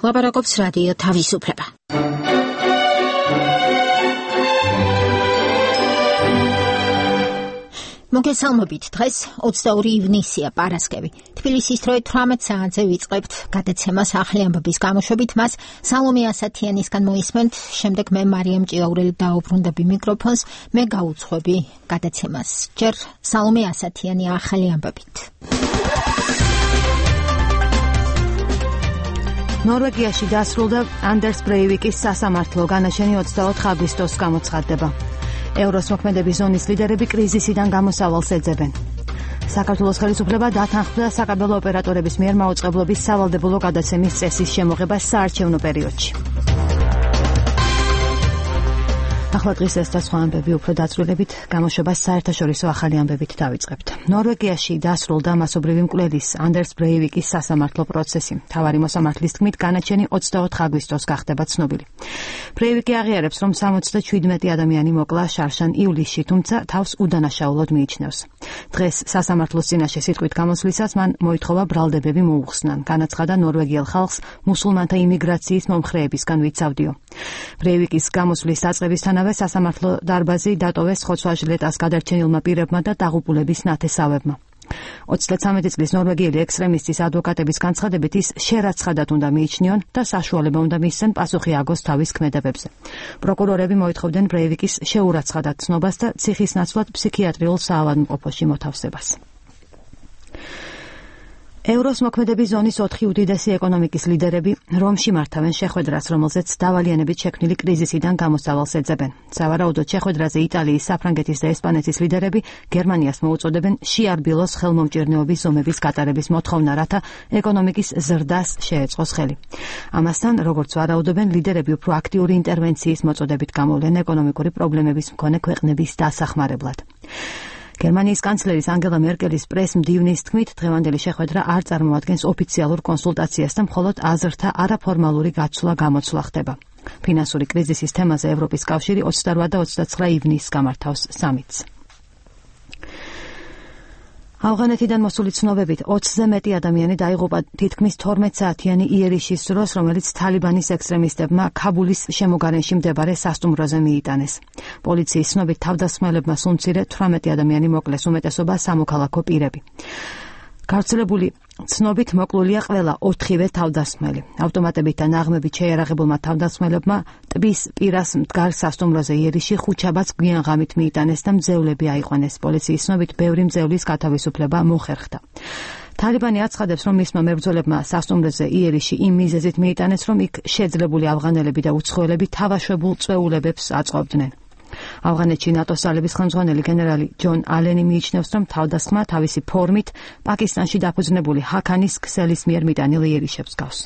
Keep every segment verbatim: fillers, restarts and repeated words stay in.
ლაპარაკობს რადიო თავისუფლება. მოგესალმებით, დღეს ოცდაორი ივნისია, პარასკევი. თბილისის დროით თვრამეტ საათზე ვიწყებთ გადაცემას ახალი ამბების გამოშვებით, მას სალომე ასათიანისგან მოისმენთ, შემდეგ მე მარიამ ჭიაურელი დაუბრუნდები მიკროფონს, მე გაუძღვები გადაცემას. ჯერ სალომე ასათიანი ახალი ამბებით. ნორვეგიაში დასრულდა ანდერს ბრეივიკის სასამართლო განაჩენი ოცდაოთხ აგვისტოს გამოცხადდება. ევროს მოქმედების ზონის ლიდერები კრიზისიდან გამოსავალს ეძებენ. საქართველოს ხელისუფლება დათანხმდა საკაბელო ოპერატორების მიერ მაუწყებლობის სავალდებულო გადაცემის წესის შემოღება საარჩევნო პერიოდში. ახლა დღის ეს და სხვა ამბები უფრო დაწვრილებით გამოშვებას საერთაშორისო ახალი ამბებით დავიწყებთ. ნორვეგიაში დასრულდა მასობრივი მკვლელის ანდერს ბრეივიკის სასამართლო პროცესი. მთავარი მოსამართლის თქმით, განაჩენი ოცდაოთხ აგვისტოს გახდება ცნობილი. ბრეივიკი აღიარებს, რომ სამოცდაშვიდმეტი ადამიანი მოკლა შარშან ივლისში, თუმცა თავს უდანაშაულოდ მიიჩნევს. დღეს სასამართლოს წინაშე სიტყვით გამოსვლისას მან მოითხოვა ბრალდებები მოუხსნან. განაცხადა ნორვეგიელ ხალხს მუსულმანთა იმიგრაციის მომხრეებისგან ვიცავდიო. ბრეივიკის გამოსვლის დაწყებისთანავე სასამართლო დარბაზი დატოვეს ხოცვა-ჟლეტას გადარჩენილმა პირებმა და დაღუპულების ნათესავებმა. ოცდაცამეტი წლის ნორვეგიელი ექსტრემისტის ადვოკატების განცხადებით ის შერაცხადად უნდა მიიჩნიონ და საშუალება უნდა მისცენ პასუხი აგოს თავის ქმედებებზე. პროკურორები მოითხოვდნენ ბრეივიკის შეურაცხადად ცნობას და ციხის ნაცვლად ფსიქიატრიულ საავადმყოფოში მოთავსებას. ევროს მოქმედების ზონის ოთხი უდიდესი ეკონომიკის ლიდერები რომში მართავენ შეხვედრას, რომელზეც დავალიანებით შექმნილი კრიზისიდან გამოსავალს ეძებენ. სავარაუდოდ შეხვედრაზე იტალიის, საფრანგეთის და ესპანეთის ლიდერები გერმანიას მოუწოდებენ შეარბილოს ხელმომჭირნეობის ზომების გატარების მოთხოვნა, რათა ეკონომიკის ზრდას შეეწყოს ხელი. ამასთან, როგორც ვარაუდობენ, ლიდერები უფრო აქტიური ინტერვენციის მოწოდებით გამოვლენ ეკონომიკური პრობლემების მქონე ქვეყნების დასახმარებლად. გერმანიის კანცლერის ანგელა მერკელის პრეს-მდივნის თქმით, დღევანდელი შეხვედრა არ წარმოადგენს ოფიციალურ კონსულტაციას და მხოლოდ აზრთა არაფორმალური გაცვლა-გამოცვლა ხდება. ფინანსური კრიზისის თემაზე ევროპის კავშირი ოცდარვა და ოცდაცხრა ივნისს გამართავს სამიტს. ავღანეთიდან მოსული ცნობებით ოცზე მეტი ადამიანი დაიღუპა თითქმის თორმეტ საათიანი იერიშის დროს, რომელიც თალიბანის ექსტრემისტებმა ქაბულის შემოგარენში მდებარე სასტუმროზე მიიტანეს. პოლიციის ცნობით თავდასხმელებმა სულ მცირე თვრამეტი ადამიანი მოკლეს, უმეტესობა სამოქალაქო პირები. გავრცელებული ცნობით მოკლულია ყველა ოთხივე თავდასხმელი. ავტომატებით და ნაღმებით შეიარაღებულმა თავდასხმელებმა ტბის პირას მდგარ სასტუმროზე იერიში ხუჩაბაც გვიანღამით მიიტანეს და მძევლები აიყვანეს. პოლიციის ცნობით ბევრი მძევლის გათავისუფლება მოხერხდა. თალიბანი აცხადებს, რომ მისმა მებრძოლებმა სასტუმროზე იერიში იმ მიზეზით მიიტანეს, რომ იქ შეძლებული ავღანელები და უცხოელები თავაშვებულ წვეულებებს აწყობდნენ. ავღანეთში ნატოს ძალების ხელმძღვანელი გენერალი ჯონ ალენი მიიჩნევს, რომ თავდასხმა თავისი ფორმით პაკისტანში დაფუძნებული ჰაქანის ქსელის მიერ მიტანილ იერიშებს გავს.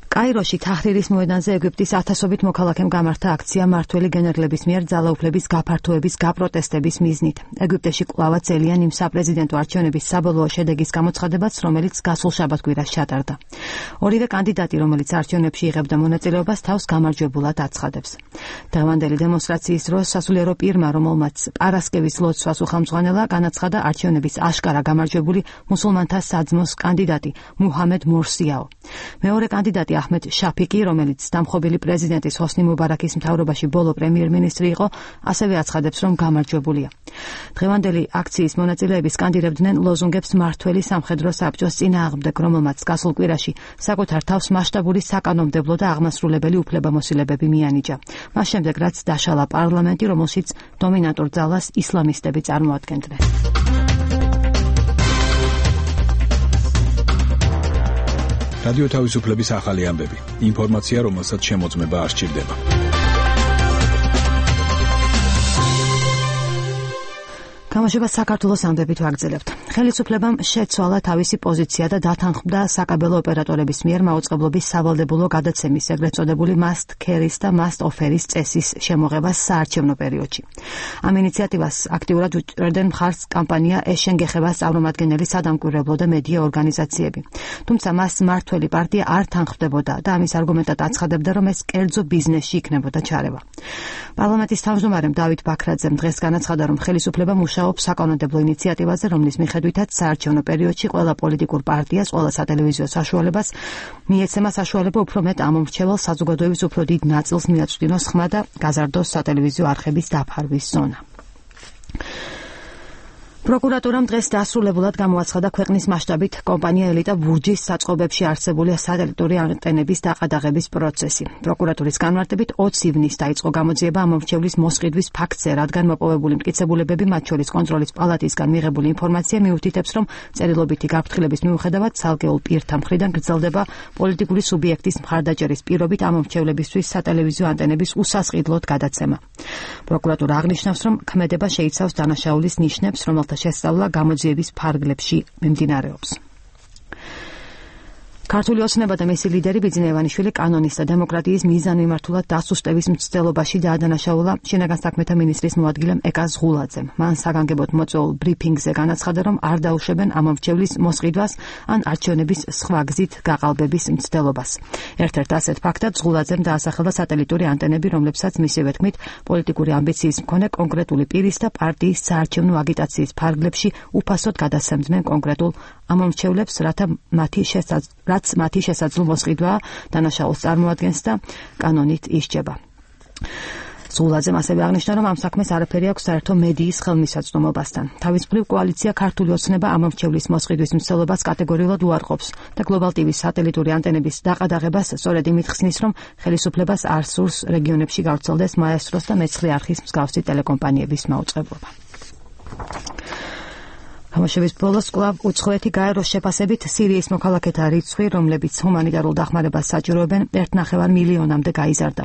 კაიროში თაჰრირის მოედანზე ეგვიპტის ათასობით მოქალაქემ გამართა აქცია მმართველი გენერლების მიერ ძალაუფლების გაფართოების გაპროტესტების მიზნით. ეგვიპტეში კვლავაც ელიან იმ საპრეზიდენტო არჩევნების საბოლოო შედეგის გამოცხადებაც, რომელიც გასულ შაბათ-კვირას ჩატარდა. ორივე კანდიდატი, რომელიც არჩევნებში იღებდა მონაწილეობას, თავს გამარჯვებულად აცხადებს. დღევანდელი დემონსტრაციის დროს სასულიერო პირმა, რომელმაც პარასკევის ლოცვას უხელმძღვანელა, განაცხადა არჩევნების აშკარა გამარჯვებული მუსულმანთა საძმოს კანდიდატი მუჰამედ მორსიაო. მეორე კანდიდატი აჰმედ შაფიკი, რომელიც დამხობილი პრეზიდენტის ჰოსნი მუბარაკის მთავრობაში ბოლო პრემიერ-მინისტრი იყო, ასევე აცხადებს, რომ გამარჯვებულია. დღევანდელი აქციის მონაწილეები სკანდირებდნენ ლოზუნგებს მმართველი სამხედრო საბჭოს წინააღმდეგ, რომელმაც გასულ კვირაში საკუთარ თავს მასშტაბური საკანონმდებლო და აღმასრულებელი უფლებამოსილებები მიანიჭა. მას შემდეგ, რაც დაშალა პარლამენტი, რომელშიც დომინანტურ ძალას ისლამისტები წარმოადგენდნენ. რადიო თავისუფლების ახალი ამბები. ინფორმაცია, რომელსაც შემოწმება არ სჭირდება. გამოშვება საქართველოს ამბებით ვაგრძელებთ. ხელისუფლებამ შეცვალა თავისი პოზიცია და დათანხმდა საკაბელო ოპერატორების მიერ მაუწყებლობის სავალდებულო გადაცემის, ეგრეთ წოდებული must carry-ის და must offer-ის წესის შემოღებას საარჩევნო პერიოდში. ამ ინიციატივას აქტიურად უჭერდნენ მხარს კამპანია ეშენ გეხებას წარმომადგენელი სადამკვირვებლო და მედია ორგანიზაციები. თუმცა მას მმართველი პარტია არ თანხმდებოდა და ამის არგუმენტად აცხადებდა, რომ ეს კერძო ბიზნესში იქნებოდა ჩარევა. პარლამენტის თავმჯდომარემ დავით ბაქრაძემ დღეს განაცხადა, რომ ხელისუფლება მუშაობს საკანონმდებლო ინიციატივაზე, რომლის მიხედვითაც საარჩევნო პერიოდში ყველა პოლიტიკურ პარტიას, ყველა სატელევიზიო საშუალებას მიეცემა საშუალება უფრო მეტ ამომრჩევალ საზოგადოების უფრო დიდ ნაწილს მიაწვდინოს ხმა და გაზარდოს სატელევიზიო არხების დაფარვის ზონა. პროკურატურამ დღეს დასრულებულად გამოაცხადა ქვეყნის მასშტაბით კომპანია ელიტა ბურჯის საწყობებში არსებული სატელიტური ანტენების დაყადაღების პროცესი. პროკურატურის განმარტებით ოცი ივნისს დაიწყო გამოძიება ამომრჩევლის მოსყიდვის ფაქტზე, რადგან მოპოვებული მტკიცებულებები, მათ შორის კონტროლის პალატისგან მიღებული ინფორმაცია მიუთითებს, რომ წერილობითი გაფრთხილების მიუხედავად ცალკეულ პირთა მხრიდან გრძელდება პოლიტიკური სუბიექტის მხარდაჭერის პირობით ამომრჩევლებისთვის სატელევიზიო ანტენების უსასყიდლოდ გადაცემა. პროკურატურა აღნიშნავს, რომ ქმედება შეიცავს დანაშაულის ნიშნებს, რომელთა შესწავლა გამოძიების ფარგლებში მიმდინარეობს. ქართული ოცნება და მისი ლიდერი ბიძინა ივანიშვილი კანონის და დემოკრატიის მიზანმიმართულად დასუსტების მცდელობაში დაადანაშაულა შინაგან საქმეთა მინისტრის მოადგილემ ეკა ზღულაძემ. მან საგანგებოდ მოწვეულ ბრიფინგზე განაცხადა, რომ არ დაუშვებენ ამომრჩევლის მოსყიდვას ან არჩევნების სხვა გზით გაყალბების მცდელობას. ერთ-ერთ ასეთ ფაქტად ზღულაძემ დაასახელა სატელიტური ანტენები, რომლებსაც მისივე თქმით პოლიტიკური ამბიციის მქონე კონკრეტული პირის და პარტიის საარჩევნო აგიტაციის ფარგლებში უფასოდ გადასცემდნენ კონკრეტულ ამომრჩევლებს, რათა მათი შესაძლებლობა რაც მათი შესაძლო მოსყიდვა დანაშაულს წარმოადგენს და კანონით ისჯება. ზღულაძემ ასევე აღნიშნა, რომ ამ საქმეს არაფერი აქვს საერთო მედიის ხელმისაწვდომობასთან. თავის მხრივ კოალიცია ქართული ოცნება ამომრჩევლის მოსყიდვის მცდელობას კატეგორიულად უარყოფს და გლობალ ტივის სატელიტური ანტენების დაყადაღებას სწორედ იმით ხსნის, რომ ხელისუფლებას არ სურს რეგიონებში გავრცელდეს მაესტროს და მეცხრე არხის მსგავსი ტელეკომპანიების მაუწყებლობა. გამოშვების ბოლოს კვლავ უცხოეთი გაეროს შეფასებით სირიის მოქალაქეთა რიცხვი, რომლებიც ჰუმანიტარულ დახმარებას საჭიროებენ, ერთ ნახევარ მილიონამდე გაიზარდა.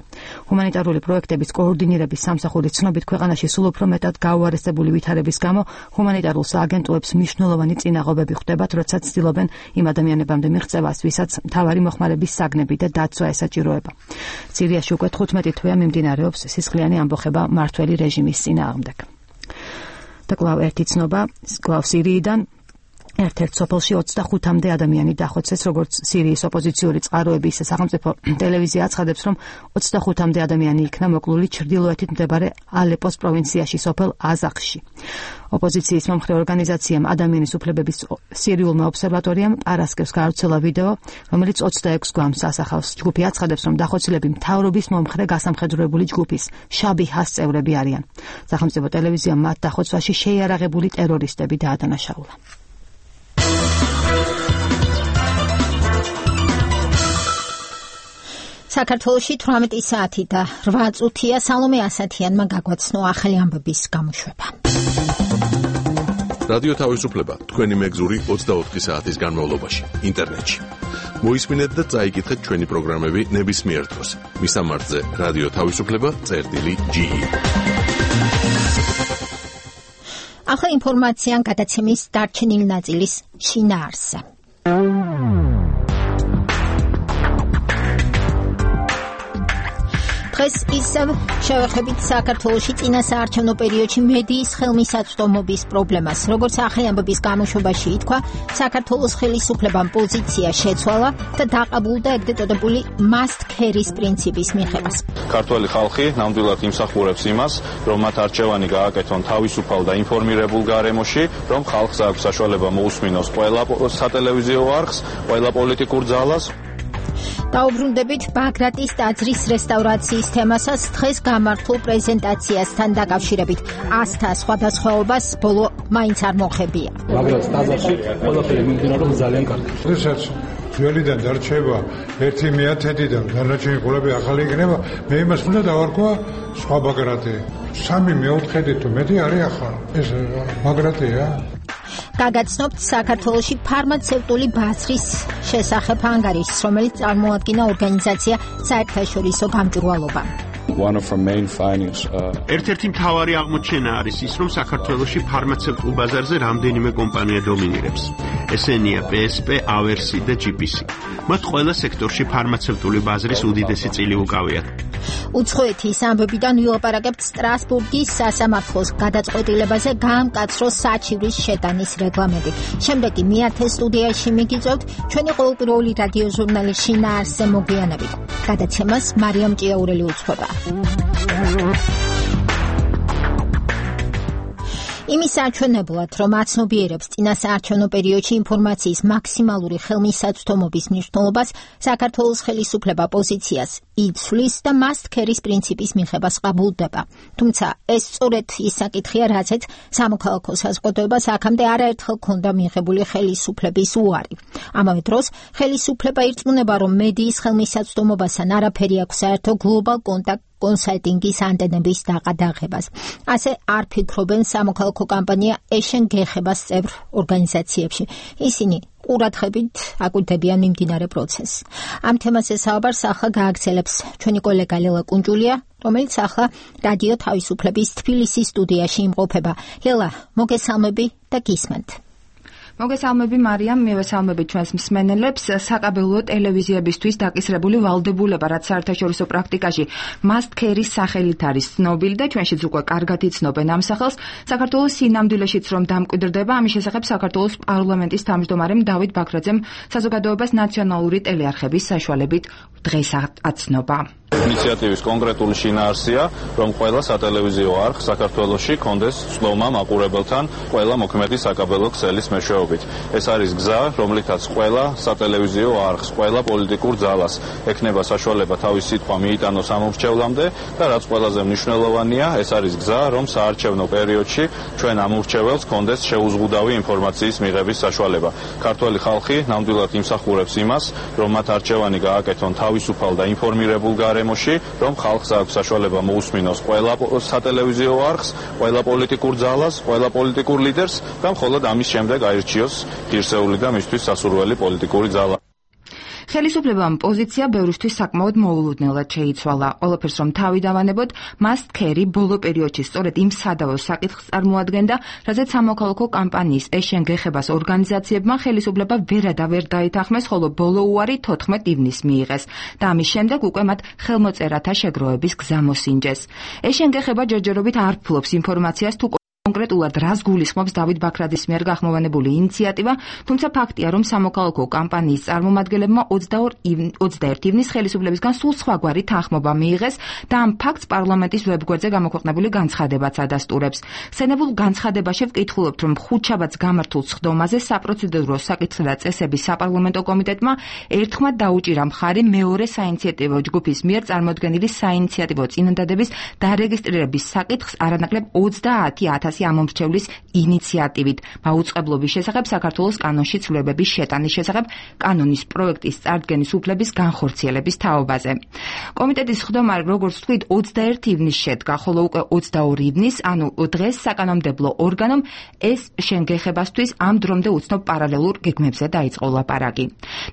ჰუმანიტარული პროექტების კოორდინირების სამსახურის ცნობით, ქვეყანაში სულ უფრო მეტად გაუარესებული ვითარების გამო ჰუმანიტარულ სააგენტოებს მნიშვნელოვანი წინაღობები ხვდებათ, როცა ცდილობენ იმ ადამიანებამდე მიღწევას, ვისაც მთავარი მოხმარების საგნები და დაცვა ესაჭიროება. სირიაში უკვე თხუთმეტი თვეა მიმდინარეობს სისხლიანი ამბოხება მმართველი რეჟიმის წინააღმდეგ. და კვლავ ერთი ცნობა, კვლავ სირიიდან ერთ-ერთ სოფელში ოცდახუთამდე ადამიანი დახოცეს, როგორც სირიის ოპოზიციური წყაროების სახელმწიფო ტელევიზია აცხადებს, რომ ოცდახუთამდე ადამიანი იქნა მოკლული ჩრდილოეთით მდებარე ალეპოს პროვინციაში, სოფელ აზახში. ოპოზიციის მომხრე ორგანიზაციამ ადამიანის უფლებების სირიულმა ობსერვატორიამ პარასკევს გაავრცელა ვიდეო, რომელიც ოცდაექვს გვამს ასახავს. ჯგუფი აცხადებს, რომ დახოცილები მთავრობის მომხრე გასამხედროებული ჯგუფის შაბიჰას წევრები არიან. სახელმწიფო ტელევიზიამ მათ დახოცვაში შეიარაღებული ტერორისტები დაადანაშაულა. საქართველოში თვრამეტი საათი და რვა წუთია. სალომე ასათიანმა გაგვაცნო ახალი ამბების გამოშვება. რადიო თავისუფლება თქვენი მეგზური ოცდაოთხი საათის განმავლობაში ინტერნეტში. მოისმინეთ და წაიკითხეთ ჩვენი პროგრამები ნებისმიერ დროს. მისამართზე რადიო თავისუფლება წერტილი ჯი. ახლა ინფორმაცია გადაცემის დარჩენილი ნაწილის შინაარსზე. დღეს ისევ შევეხებით საქართველოში წინა საარჩევნო პერიოდში მედიის ხელმისაწვდომობის პრობლემას. როგორც ახალი ამბების გამოშვებაში ითქვა, საქართველოს ხელისუფლებამ პოზიცია შეცვალა და დაყაბულდა ეგრეთ წოდებული must carry-ის პრინციპის მიღებას. ქართველი ხალხი ნამდვილად იმსახურებს იმას, რომ მათ არჩევანი გააკეთონ თავისუფალ და ინფორმირებულ გარემოში, რომ ხალხს აქვს საშუალება მოусმინოს ყველა სატელევიზიო არხს, ყველა პოლიტიკურ ძალას. დაუბრუნდებით ბაგრატის ტაძრის რესტავრაციის თემასაც. დღეს გამართულ პრეზენტაციასთან დაკავშირებით ასთა სხვადასხვაობას ბოლო მაინც არ მოხებია. ბაგრატის ტაძარში ყველაფერი მიმდინარეობს ძალიან კარგად. როდესაც ძველიდან დარჩება ერთი მეათედი და დანარჩენი ყოლები ახალი იქნება, მე იმას უნდა დავარქვა სხვა ბაგრატი. სამი მეოთხედი თუ მეტი არის ახლა. ეს ბაგრატია. გაგაცნობთ საქართველოში ფარმაცევტული ბაზრის შესახებ ანგარიშს, რომელიც წარმოადგინა ორგანიზაცია საერთაშორისო გამჭვირვალობა. One of our main findings uh ერთ-ერთი მთავარი აღმოჩენა არის ის, რომ საქართველოში ფარმაცევტულ ბაზარზე რამდენიმე კომპანია დომინირებს. ესენია პი ეს პი, ავერსი და ჯი პი სი. მათ ყველა სექტორში ფარმაცევტული ბაზრის უდიდესი წილი უკავიათ. უცხოეთის ამბებიდან ვილაპარაკებთ სტრასბურგის სასამართლოს გადაწყვეტილებაზე გაამკაცრო საჩივრის შეტანის რეგლამენტი. შემდეგ კი მეათე სტუდიაში მიგიწევთ ჩვენი ყოველდღიური რადიო ჟურნალის შინაარსზე მოგვიანებით. გადაცემას მარიამ ჭიაურელი უძღვება. იმის არჩევნებლად, რომ აცნობიერებს წინა საარჩევნო პერიოდში ინფორმაციის მაქსიმალური ხელმისაწვდომობის მნიშვნელობას, საქართველოს ხელისუფლება პოზიციას იცვლის და must carry-ის პრინციპის მიღებას ყაბულდება. თუმცა ეს სწორედ ის საკითხია, რაზეც სამოქალაქო საზოგადოებას აქამდე არაერთხელ ჰქონდა მიღებული ხელისუფლების უარი. ამავე დროს, ხელისუფლება ირწმუნება, რომ მედიის ხელმისაწვდომობასთან არაფერი აქვს საერთო გლობალ კონტაქტ კონსალტინგის ანტენების დაყადაღებას. ასე არ ფიქრობენ სამოქალაქო კამპანია ეშენ გეხებას წევრ ორგანიზაციებში. ისინი ყურადღებით აკვირდებიან მიმდინარე პროცესს. ამ თემაზე საუბარს ახლა გააგრძელებს ჩვენი კოლეგა ლელა კუნჯულია, რომელიც ახლა რადიო თავისუფლების თბილისის სტუდიაში იმყოფება. ლელა, მოგესალმები და გისმენთ. მოგესალმები მარიამ, მივესალმები ჩვენს მსმენელებს. საკაბელო ტელევიზიებისთვის დაკისრებული ვალდებულება, რაც საერთაშორისო პრაქტიკაში must carry-ის სახელით არის ცნობილი და ჩვენშიც უკვე კარგად იცნობენ ამ სახელს. საქართველოს სინამდვილეშიც რომ დამკვიდრდება, ამის შესახებ საქართველოს პარლამენტის თავმჯდომარემ დავით ბაქრაძემ საზოგადოებას ნაციონალური ტელეარხების საშუალებით დღეს აცნობა. ინიციატივის კონკრეტული შინაარსია, რომ ყველა სატელევიზიო არხ საქართველოში კონდეს ცნობა მაყურებელთან ყველა მოქმედი საკაბელო ქსელის მეშვეობით. ეს არის გზა, რომლითაც ყველა სატელევიზიო არხს, ყველა პოლიტიკურ ძალას ექნება საშუალება თავის სიტყვა მიიტანოს ამ ურჩევლამდე და რაც ყველაზე მნიშვნელოვანია, ეს არის გზა, რომ საარჩევნო პერიოდში ჩვენ ამ ურჩეველს კონდეს შეუზღუდავი ინფორმაციის მიღების საშუალება. ქართველი ხალხი ნამდვილად იმსახურებს იმას, რომ მათ არჩევანი გააკეთონ თავისუფალ და ინფორმირებულ გარემოში, რომ ხალხს აქვს საშუალება მოусმინოს ყველა სატელევიზიო არხს, ყველა პოლიტიკურ ძალას, ყველა პოლიტიკურ ლიდერს და მხოლოდ ამის შემდეგ აირჩიოს ღირსეული და მისთვის სასურველი პოლიტიკური ძალა. ხელისუფლებამ პოზიცია ბევრისთვის საკმაოდ მოულოდნელად შეიცვალა. ყველაფერს რომ თავი დავანებოთ, must carry ბოლო პერიოდში სწორედ იმ სადავო საკითხს წარმოადგენდა, რაზეც სამოქალაქო კამპანიის ეშენ გეხებას ორგანიზაციებმა ხელისუფლება ვერადავერ დაითანხმეს, ხოლო ბოლო უარი თოთხმეტ ივნისს მიიღეს და ამის შემდეგ უკვე მათ ხელმოწერათა შეგროვების გზა მოსინჯეს. ეშენ გეხება ჯერჯერობით არ ფლობს ინფორმაციას თუ კონკრეტულად რას გულისხმობს დავით ბაქრაძის მიერ გახმოვანებული ინიციატივა, თუმცა ფაქტია, რომ სამოქალაქო კამპანიის წარმომადგენლებმა ოცდაერთი ივნისს ხელისუფლებისგან სულ სხვაგვარი თანხმობა მიიღეს და ამ ფაქტს პარლამენტის ვებგვერდზე გამოქვეყნებული განცხადებაც ადასტურებს. სცენებულ განცხადებაში ვკითხულობთ, რომ ხუთშაბათს გამართულ სხდომაზე საპროცედურო საკითხთა და წესების საპარლამენტო კომიტეტმა ერთხმად დაუჭირა მხარი მეორე საინიციატივო ჯგუფის მიერ წარმოდგენილი საინიციატივო წინადადების დარეგისტრირების საკითხს არანაკლებ ოცდაათი ათასი ამომრჩევლის ინიციატივით მაუწყებლობის შესახებ საქართველოს კანონში ცვლილებების შეტანის შესახებ კანონის პროექტის წარდგენის უფლების განხორციელების თაობაზე. კომიტეტის სხდომა, როგორც ვთქვით, ოცდაერთი ივნისს შედგა, ხოლო უკვე ოცდაორი ივნისს, ანუ დღეს საკანონმდებლო ორგანომ ეს შენგეხებასთვის ამ დრომდე უცნობ პარალელურ გეგმებზე დაიწყო ლაპარაკი.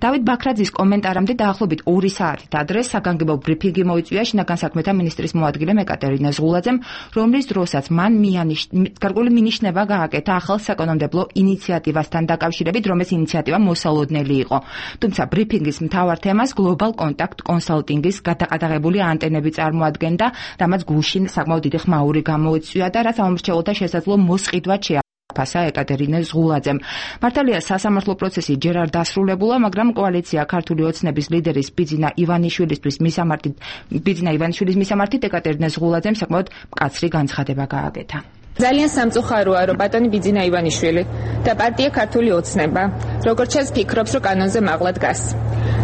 დავით ბაქრაძის კომენტარამდე დაახლოებით ორი საათით ადრე საგანგებო ბრიფინგი მოიწვია შინაგან საქმეთა მინისტრის მოადგილემ ეკატერინე ზღულაძემ, რომლის დროსაც მან მიანიშნა გარკვეული მინიშნება გააკეთა ახალ საკანონმდებლო ინიციატივასთან დაკავშირებით, რომ ეს ინიციატივა მოსალოდნელი იყო. თუმცა ბრიფინგის მთავარ თემას გლობალ კონტაქტ კონსალტინგის გადაყადაღებული ანტენები წარმოადგენდა, რამაც გულში საკმაოდ დიდი ხმაური გამოიწვია და რაც ამომრჩეველთა შესაძლო მოსყიდვად შეაფასა ეკატერინე ზღულაძემ. მართალია სასამართლო პროცესი ჯერ არ დასრულებულა, მაგრამ კოალიცია ქართული ოცნების ლიდერის ბიძინა ივანიშვილისთვის მისამართით ბიძინა ივანიშვილის მისამართით ეკატერინე ზღულაძემ საკმაოდ მკაცრი განცხადება გააკეთა. ძალიან სამწუხაროა, რომ ბატონი ბიძინა ივანიშვილი და პარტია ქართული ოცნება, როგორც ჩანს, ფიქრობს, რომ კანონზე მაღლა დგას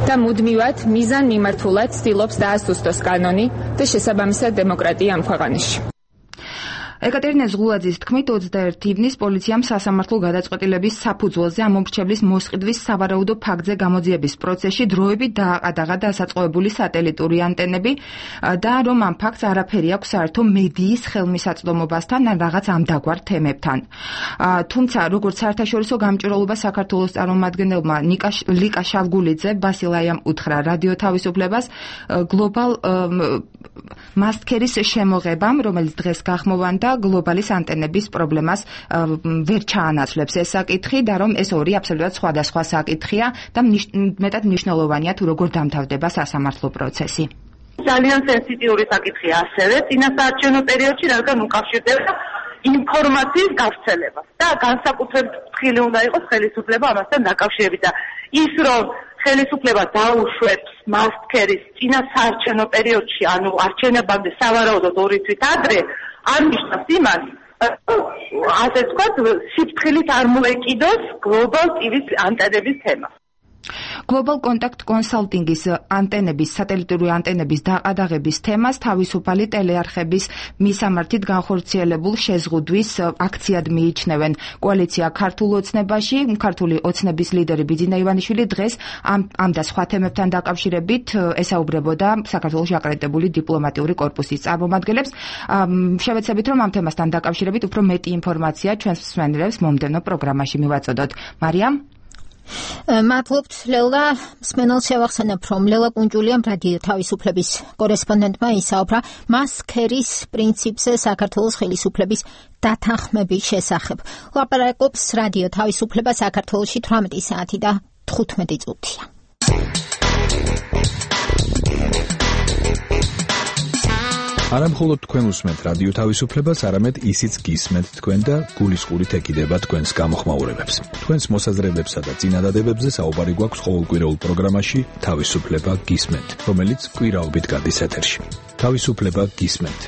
და მუდმივად მიზან მიმართულად ცდილობს დაასუსტოს კანონი და შესაბამისად დემოკრატია ამ ქვეყანაში. ეკატერინე ზღულაძის თქმით, ოცდაერთი ივნისს პოლიციამ სასამართლო გადაწყვეტილების საფუძველზე ამომრჩევლის მოსყიდვის სავარაუდო ფაქტზე გამოძიების პროცესში დროებით დააყადაღა დასაწყობებული სატელიტური ანტენები და რომ ამ ფაქტს არაფერი აქვს საერთო მედიის ხელმისაწვდომობასთან ან რაღაც ამდაგვარ თემებთან. თუმცა, როგორც საერთაშორისო გამჭვირვალობა საქართველოს წარმომადგენელმა ლიკა შალგულიძე ბასილაიამ უთხრა რადიო თავისუფლებას გლობალ must carry-ის შემოღებამ, რომელიც დღეს გახმოვანდა გლობალის ანტენების პრობლემას ვერ ჩაანაცვლებს ეს საკითხი და რომ ეს ორი აბსოლუტურად სხვადასხვა საკითხია და მეტად მნიშვნელოვანია თუ როგორ დამთავრდება სასამართლო პროცესი. ძალიან სენსიტიური საკითხია ასევე წინასაარჩევნო პერიოდში, რადგან უკავშირდება ინფორმაციის გავრცელებას და განსაკუთრებით ფრთხილი უნდა იყოს ხელისუფლება ამასთან დაკავშირებით და ის რომ ხელისუფლება დაუშვებს must carry-ის წინასაარჩევნო პერიოდში, ანუ არჩევნებამდე სავარაუდოდ ორი თვით ადრე არ ნიშნავს იმას, ასე ვთქვათ, სიფრთხილით არ მოეკიდოს Global ტი ვის ანტენების თემა. Global Contact Consulting-ის ანტენების, სატელიტური ანტენების დაყადაღების თემას თავისუფალი ტელეარხების მისამართით განხორციელებულ შეზღუდვის აქციად მიიჩნევენ. კოალიცია ქართულ ოცნებაში, ქართული ოცნების ლიდერი ბიძინა ივანიშვილი დღეს ამ ამ და სხვა თემებთან დაკავშირებით ესაუბრებოდა საქართველოს აკრედიტებული დიპლომატიური კორპუსის წარმომადგენლებს. შევეცდებით, რომ ამ თემასთან დაკავშირებით უფრო მეტი ინფორმაცია ჩვენს მსმენელებს მომდევნო პროგრამაში მივაწოდოთ. მარიამ მადლობთ ლელა, მსმენელს შევახსენებ, რომ ლელა კუნჯულიამ რადიო თავისუფლების კორესპონდენტმა ისაუბრა მასქერის პრინციპზე საქართველოს ხელისუფლების დათანხმების შესახებ. ლაპარაკობს რადიო თავისუფლება საქართველოში თვრამეტი საათი და თხუთმეტი წუთია. არა მხოლოდ თქვენ უსმენთ რადიო თავისუფლებას, არამედ ისიც გისმენთ თქვენ და გულისყურით ეკიდება თქვენს გამოხმაურებებს. თქვენს მოსაზრებებსა და წინადადებებზე საუბარი გვაქვს ყოველკვირეულ პროგრამაში თავისუფლება გისმენთ, რომელიც კვირაობით გადის ეთერში. თავისუფლება გისმენთ.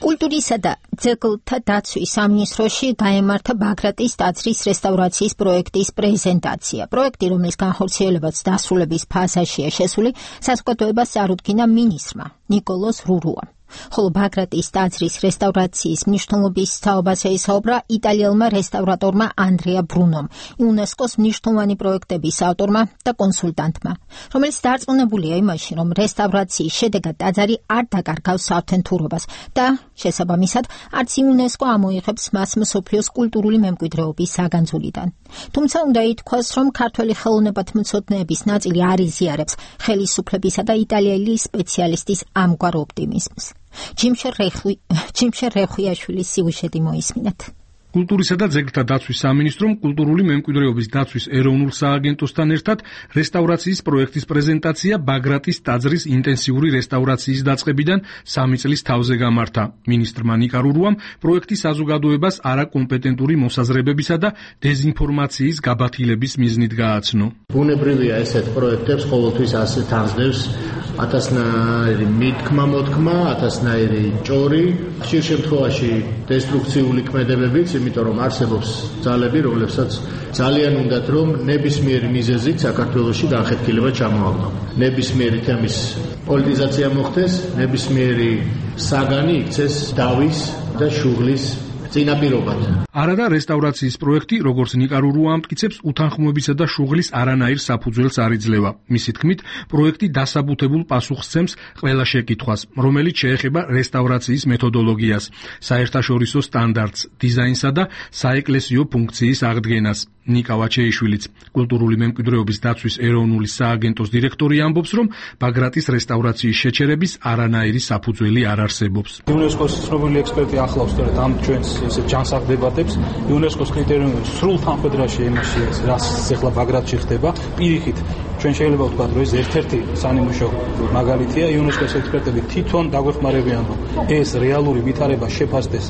კულტურისა და ძეგლთა დაცვის სამინისტროში გაემართა ბაგრატის ტაძრის რესტავრაციის პროექტის პრეზენტაცია. პროექტი, რომლის განხორციელებაც დასრულების ფაზაშია შესული, საზოგადოებას წარუდგინა მინისტრმა ნიკოლოზ რურუამ. ხოლო ბაგრატის ტაძრის რესტავრაციის მნიშვნელობის თაობაზე ისაუბრა იტალიელმა რესტავრატორმა ანდრეა ბრუნომ, იუნესკოს მნიშვნელოვანი პროექტების ავტორმა და კონსულტანტმა, რომელიც დარწმუნებულია იმაში, რომ რესტავრაციის შედეგად ტაძარი არ დაკარგავს საავთენტურობას და შესაბამისად არც იუნესკო ამოიღებს მას მსოფლიოს კულტურული მემკვიდრეობის საგანძურიდან. თუმცა უნდა ითქვას, რომ ქართველი ხელოვნებათმცოდნეების ნაწილი არ იზიარებს ხელისუფლებისა და იტალიელი სპეციალისტის ამგვარ ოპტიმიზმს. ჯიმშერ რეხვიაშვილის სიუჟეტი მოისმინეთ. კულტურისა და ძეგლთა დაცვის სამინისტრომ კულტურული მემკვიდრეობის დაცვის ეროვნულ სააგენტოსთან ერთად რესტავრაციის პროექტის პრეზენტაცია ბაგრატის ტაძრის ინტენსიური რესტავრაციის დაწყებიდან სამი წლის თავზე გამართა. მინისტრმა ნიკა რურუამ პროექტის საზოგადოებას არაკომპეტენტური მოსაზრებებისა და დეზინფორმაციის გაბათილების მიზნით გააცნო. ბუნებრივია ესეთ პროექტებს ყოველთვის ასე თანხმდევს ათასნაირი მითქმა მოთქმა, ათასნაირი ჭორი, ხშირ შემთხვევაში დესტრუქციული ქმედებებიც, იმიტომ რომ არსებობს ძალები, რომლებსაც ძალიან უნდათ, რომ ნებისმიერი მიზეზით საქართველოში განხეთქილება ჩამოაყენონ. ნებისმიერი თემის პოლიტიზაცია მოხდეს, ნებისმიერი საგანი იქცეს დავის და შუღლის წინაპირობად. არადა რესტავრაციის პროექტი, როგორც ნიკა რურუა ამტკიცებს, უთანხმოებისა და შუღლის არანაირ საფუძველს არ იძლევა. მისი თქმით, პროექტი დასაბუთებულ პასუხს სცემს ყველა შეკითხვას, რომელიც შეეხება რესტავრაციის მეთოდოლოგიას, საერთაშორისო სტანდარტს, დიზაინსა და საეკლესიო ფუნქციის აღდგენას. ნიკა ვაჩეიშვილიც, კულტურული მემკვიდრეობის დაცვის ეროვნული სააგენტოს დირექტორი ამბობს, რომ ბაგრატის რესტავრაციის შეჩერების არანაირი საფუძველი არ არსებობს. იუნესკოს ცნობილი ექსპერტი ახლავს სწორედ ამ ჩვენს ესე ჯანსაღ დებატებს. იუნესკოს კრიტერიუმები სრულ თანხმედრაში იმაში, რაც ახლა ბაგრატში ხდება, პირიქით ჩვენ შეიძლება ვთქვათ, რომ ეს ერთ-ერთი სანიმუშო მაგალითია. იუნესკოს ექსპერტები თვითონ დაგვეხმარებიან, რომ ეს რეალური ვითარება შეფასდეს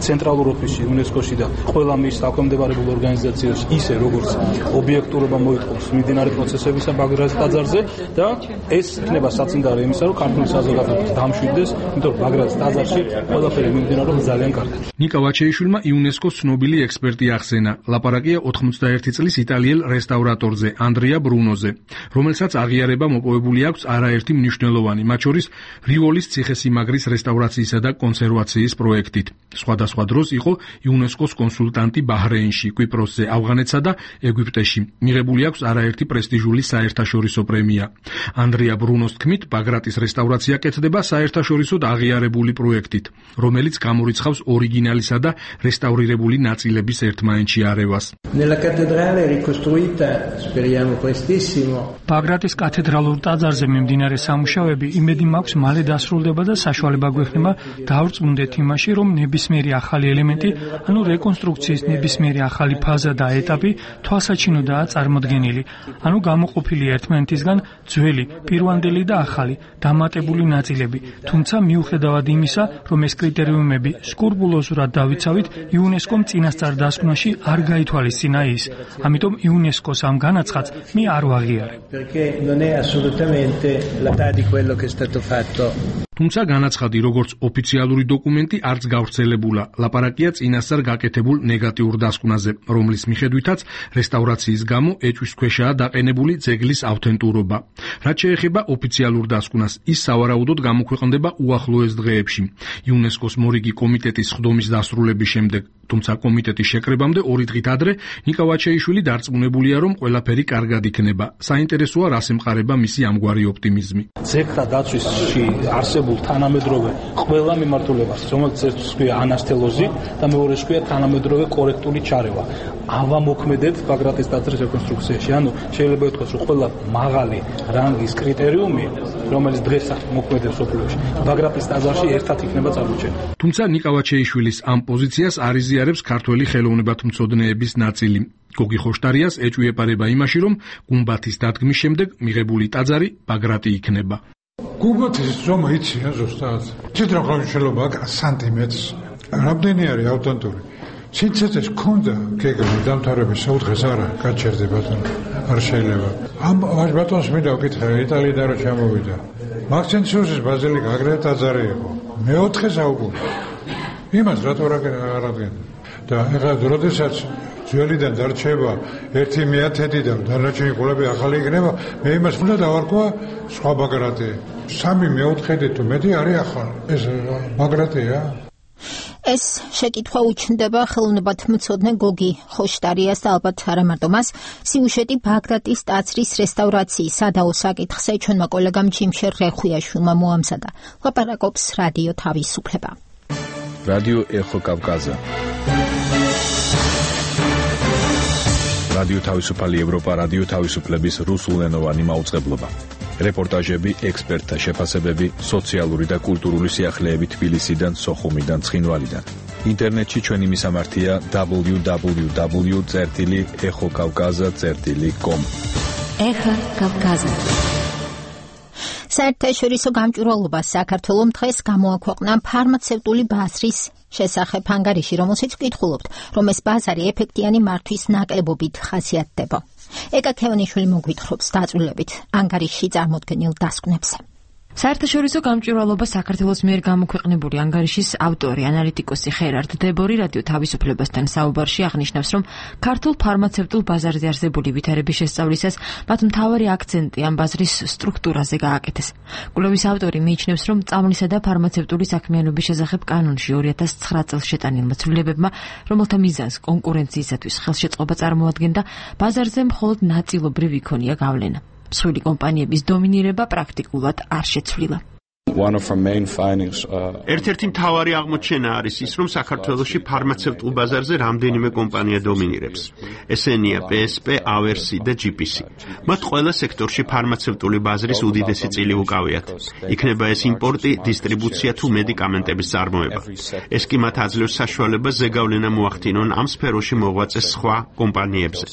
ცენტრალურ ოფისში იუნესკოში და ყველა მის საქვემდებარებულ ორგანიზაციაში, ისე როგორც ობიექტურობა მოითხოვს მიმდინარე პროცესებისა ბაგრატის ტაძარზე და ეს იქნება საწინდარი იმისა, რომ ქართული საზოგადოება დამშვიდდეს, იმიტომ რომ ბაგრატის ტაძარში ყველაფერი მიმდინარეობს ძალიან კარგად. ნიკა ვაჩეიშვილმა იუნესკოს ცნობილი ექსპერტი ახსენა. ლაპარაკია ოცდაერთი წლის იტალიელ რესტავრატორზე, ანდრეა ბრუნოზე, რომელსაც აღიარება მოპოვებული აქვს არაერთი მნიშვნელოვანი, მათ შორის რივოლის ციხესიმაგრის რესტავრაციისა და კონსერვაციის პროექტით. სხვადასხვა დროს იყო იუნესკოს კონსულტანტი ბაჰრეინში, კვიპროსზე, ავღანეთსა და ეგვიპტეში. მიღებული აქვს არაერთი პრესტიჟული საერთაშორისო პრემია. ანდრეა ბრუნოს თქმით, ბაგრატის რესტავრაცია კეთდება საერთაშორისოდ აღიარებული პროექტით, რომელიც გამორიცხავს ორიგინალისა და რესტავრირებული ნაწილების ერთმანეთში არევას. Nella cattedrale ricostruita, speriamo prestissimo. ბაგრატის კათედრალურ ტაძარზე მიმდინარე სამუშაოები იმედი მაქვს მალე დასრულდება და საშუალება გვექნება დავრწმუნდეთ იმაში, რომ ნებისმიერი ახალი ელემენტი, ანუ რეკონსტრუქციის ნებისმიერი ახალი ფაზა და ეტაპი თვალსაჩინოდაა წარმოდგენილი, ანუ გამოყოფილი ერთმანეთისგან ძველი, პირვანდელი და ახალი, დამატებული ნაწილები. თუმცა მიუხედავად იმისა, რომ ეს კრიტერიუმები სკრუპულოზურად დავიცავით, იუნესკომ წინასწარ დასკვნაში არ გაითვალისწინა ის. ამიტომ იუნესკოს ამ განაცხადს მე არ ვაღიარე. perché non è assolutamente la metà di quello che è stato fatto. თუმცა განაცხადი როგორც ოფიციალური დოკუმენტი არც გავრცელებულა. ლაპარაკია წინასწარ გაკეთებულ ნეგატიურ დასკვნაზე, რომლის მიხედვითაც რესტავრაციის გამო ეჭვის ქვეშაა დაყენებული ძეგლის ავთენტურობა. რაც შეეხება ოფიციალურ დასკვნას, ის სავარაუდოდ გამოქვეყნდება უახლოეს დღეებში, იუნესკოს მორიგი კომიტეტის სხდომის დასრულების შემდეგ. თუმცა კომიტეტის შეკრებამდე ორი დღით ადრე ნიკა ვაჩეიშვილი დარწმუნებულია, რომ ყველაფერი კარგად იქნება. საინტერესოა, რას ემყარება მისი ამგვარი ოპტიმიზმი. ძეგლთა დაცვისში არსებულ თანამედროვე ყველა მიმართულებას, რომელიც ერთს ქვია ანასტელოზი და მეორეს ქვია თანამედროვე კორექტული ჩარევა. ავამოქმედეთ ბაგრატის ტაძრის რეკონსტრუქციაში. ანუ შეიძლება ითქვას, რომ ყველა მაღალი რანგის კრიტერიუმი, რომელიც დღეს მოქმედებს სოფლიოში, ბაგრატის ტაძარში ერთად იქნება წარმოჩენილი. თუმცა ნიკა ვაჩეიშვილის ამ პოზიციას არ იზიარებს ქართველი ხელოვნებათმცოდნეების ნაწილი. გოგი ხოშტარიას ეჭვი ეპარება იმაში, რომ გუმბათის დადგმის შემდეგ მიღებული ტაძარი ბაგრატი იქნება. გუმბათის ზომა იცია ზუსტად. ციტრო ხელშელობა სანტიმეტრს. რამდენი არის ავტენტური? სიცეცეს ქონდა გეგმის დამთავრების საუთხეს არა, გაჩერდება ბატონო. არ შეიძლება. ამ ბატონს მინდა ვკითხე, იტალიიდან რო ჩამოვიდა. მაქსენციუსის ბაზილიკა აგრეთვე ტაძარი იყო. მეოთხე საუკუნე. იმას რატო არ აღადგენდა? და ეხლა როდესაც ძველიდან დარჩება ერთი მეათედი და დანარჩენი ყოლები ახალი იქნება, მე იმას უნდა დავარქვა სხვა ბაგრატი. სამი მეოთხედი თუ მეტი არის ახალი. ეს ბაგრატია? ეს შეკითხვა უჩნდება ხელოვნებათმცოდნე გოგი ხოშტარიას და ალბათ არა მარტო მას, სიუჟეტი ბაგრატის ტაძრის რესტავრაციის სადაო საკითხზე ჩვენმა კოლეგამ ჯიმშერ რეხვიაშვილმა მოამზადა. ლაპარაკობს რადიო თავისუფლება. რადიო ეხო კავკაზა. რადიო თავისუფალი ევროპა, რადიო თავისუფლების რუსულენოვანი მაუწყებლობა. რეპორტაჟები, ექსპერტთა შეფასებები, სოციალური და კულტურული სიახლეები თბილისიდან, სოხუმიდან, ცხინვალიდან. ინტერნეტში ჩვენი მისამართია დაბლიუ დაბლიუ დაბლიუ წერტილი ეხო კავკაზა წერტილი კომ. ეხო კავკაზა. საერთაშორისო გამჭვირვალობას საქართველოს დღეს გამოაქვეყნა ფარმაცევტული ბაზრის შესახებ ანგარიში, რომელშიც ვკითხულობთ, რომ ეს ბაზარი ეფექტიანი მართვის ნაკლებობით ხასიათდება. ეკა ქევანიშვილი მოგვითხრობს დაწვრილებით ანგარიშში წარმოდგენილ დასკვნებზე. საერთაშორისო გამჭვირვალობა საქართველოს მიერ გამოქვეყნებული ანგარიშის ავტორი ანალიტიკოსი ხერარდ დებორი რადიო თავისუფლებასთან საუბარში აღნიშნავს, რომ ქართულ ფარმაცევტულ ბაზარზე არსებული ვითარების შესწავლისას მათ მთავარი აქცენტი ამ ბაზრის სტრუქტურაზე გააკეთეს. კვლევის ავტორი მიიჩნევს, რომ წამლისა და ფარმაცევტული საქმიანობის შესახებ კანონში ორი ათას ცხრა წელს შეტანილმა ცვლილებებმა, რომელთა მიზანს კონკურენციისათვის ხელშეწყობა წარმოადგენდა, ბაზარზე მხოლოდ ნაწილობრივ იქონია გავლენა. მსხვილი კომპანიების დომინირება პრაქტიკულად არ შეცვლილა. One of our main findings uh ერთ-ერთი მთავარი აღმოჩენა არის ის, რომ საქართველოში ფარმაცევტულ ბაზარზე რამდენიმე კომპანია დომინირებს. ესენია პი ეს პი, ავერსი და ჯი პი სი. მათ ყველა სექტორში ფარმაცევტული ბაზრის უდიდესი წილი უკავიათ. იქნება ეს იმპორტი, დისტრიბუცია თუ მედიკამენტების წარმოება. ეს კი მათ აძლევს საშუალებას ზეგავლენა მოახდინონ ამ სფეროში მოღვაწე სხვა კომპანიებზე.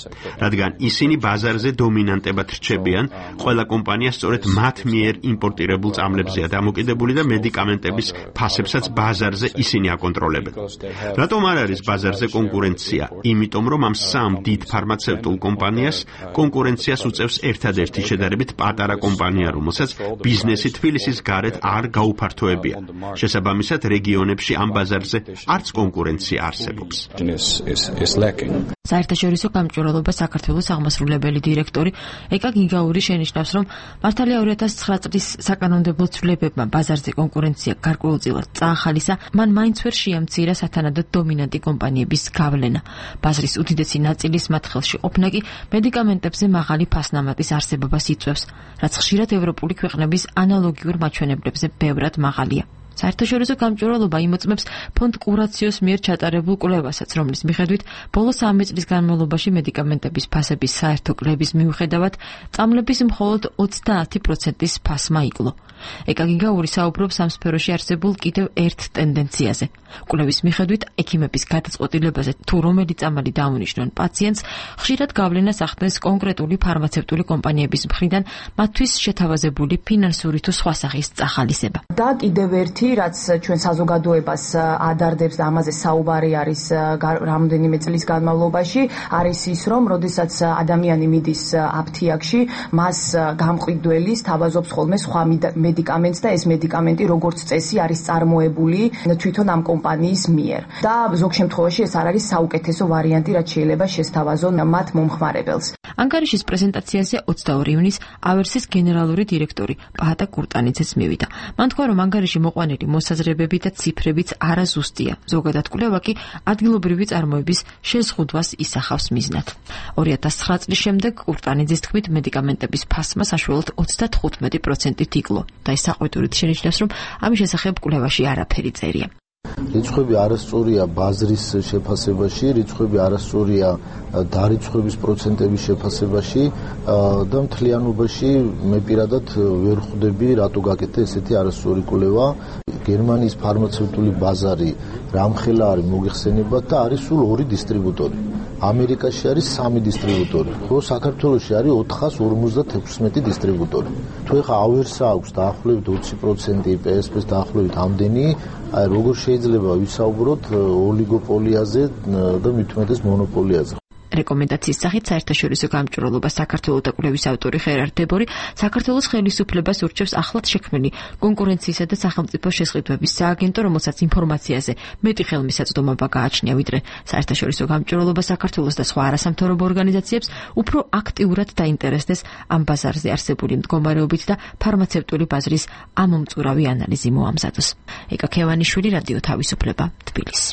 რადგან ისინი ბაზარზე დომინანტებად რჩებიან, ყველა კომპანია სწორედ მათ მიერ იმპორტირებულ წამლებზეა დამოკიდებული და მედიკამენტების ფასებსაც ბაზარზე ისინი აკონტროლებენ. რატომ არ არის ბაზარზე კონკურენცია? იმიტომ რომ ამ სამ დიდ ფარმაცევტულ კომპანიას კონკურენციას უწევს ერთადერთი შედარებით პატარა კომპანია, რომელსაც ბიზნესი თბილისის გარეთ არ გაუფართოებია. შესაბამისად, რეგიონებში ამ ბაზარზე არც კონკურენცია არსებობს. საერთაშორისო გამჭვირვალობა საქართველოს აღმასრულებელი დირექტორი ეკა გიგაური შენიშნავს, რომ მართალია ორი ათას ცხრა წლის საკანონმდებლო ცვლილებებმა ბაზარზე კონკურენცია გარკვეულწილად წაახალისა, მან მაინც ვერ შეამცირა სათანადო დომინანტი კომპანიების გავლენა. ბაზრის უდიდესი ნაწილის მათ ხელში ყოფნა კი მედიკამენტებზე მაღალი ფასნამატის არსებობას იწვევს, რაც ხშირად ევროპული ქვეყნების ანალოგიურ მაჩვენებლებზე ბევრად მაღალია. საერთაშორისო გამჭვირვალობა იმოწმებს ფონდ კურაციოს მიერ ჩატარებულ კვლევასაც, რომლის მიხედვით ბოლო სამი წლის განმავლობაში მედიკამენტების ფასების საერთო კლების მიუხედავად, წამლების მხოლოდ ოცდაათი პროცენტის ფასმა იკლო. ეკა გიგაური საუბრობს ამ სფეროში არსებულ კიდევ ერთ ტენდენციაზე. კვლევის მიხედვით, ექიმების გადაწყვეტილებაზე თუ რომელი წამალი დაუნიშნონ პაციენტს, ხშირად გავლენას ახდენს კონკრეტული ფარმაცევტული კომპანიების მხრიდან მათთვის შეთავაზებული ფინანსური თუ სხვა სახის წახალისება. და კიდევ ერთი, რაც ჩვენ საზოგადოებას ადარდებს და ამაზე საუბარი არის რამდენიმე წლის განმავლობაში, არის ის, რომ როდესაც ადამიანი მიდის აფთიაქში, მას გამყიდველი სთავაზობს ხოლმე სხვა მედიკამენტს და ეს მედიკამენტი როგორც წესი არის წარმოებული თვითონ ამ კომპანიის მიერ. და ზოგ შემთხვევაში ეს არ არის საუკეთესო ვარიანტი, რაც შეიძლება შესთავაზონ მათ მომხმარებელს. ანგარიშის პრეზენტაციაზე ოცდაორი ივნის ავერსის გენერალური დირექტორი პაატა კურტანიძეც მივიდა. მან თქვა, რომ ანგარიში მოყვანილი მოსაზრებები და ციფრებიც არაზუსტია. ზოგადად კვლევა კი ადგილობრივი წარმოების შეზღუდვას ისახავს მიზნად. ორი ათას ცხრა წლის შემდეგ კურტანიძის თქმით, მედიკამენტების ფასმა საშუალოდ ოცდათხუთმეტი პროცენტით იკლო და ის საყვედურით შენიშნავს, რომ ამის შესახებ კვლევაში არაფერი წერია. რიცხვები არასწორია ბაზრის შეფასებაში, რიცხვები არასწორია დარიცხვების პროცენტების შეფასებაში და მთლიანობაში მე პირადად ვერ ხვდები, რატო გაკეთდა ესეთი არასწორი კვლევა. გერმანიის ფარმაცევტული ბაზარი რამხელა არის მოგეხსენებათ და არის სულ ორი დისტრიბუტორი. ამერიკაში არის სამი დისტრიბუტორი, ხო საქართველოში არის ოთხას ორმოცდათექვსმეტი დისტრიბუტორი. თუ ეხა ავერსა აქვს დაახლოებით ოცი პროცენტი, პე-ეს-პე-ს დაახლოებით ამდენი, აი როგორ შეიძლება ვისაუბროთ ოლიგოპოლიაზე და მით უმეტეს მონოპოლიაზე. რეკომენდაციის სახით საერთაშორისო გამჭვირვალობა საქართველოს და კვლევის ავტორი ხერარ დებორი საქართველოს ხელისუფლებას ურჩევს ახლად შექმნილი კონკურენციისა და სახელმწიფო შესყიდვების სააგენტო, რომელსაც ინფორმაციაზე მეტი ხელმისაწვდომობა გააჩნია, ვიდრე საერთაშორისო გამჭვირვალობა საქართველოს და სხვა არასამთავრობო ორგანიზაციებს უფრო აქტიურად დაინტერესდეს ამ ბაზარზე არსებული მდგომარეობით და ფარმაცევტული ბაზრის ამომწურავი ანალიზი მოამზადოს. ეკა ქევანიშვილი, რადიო თავისუფლება, თბილისი.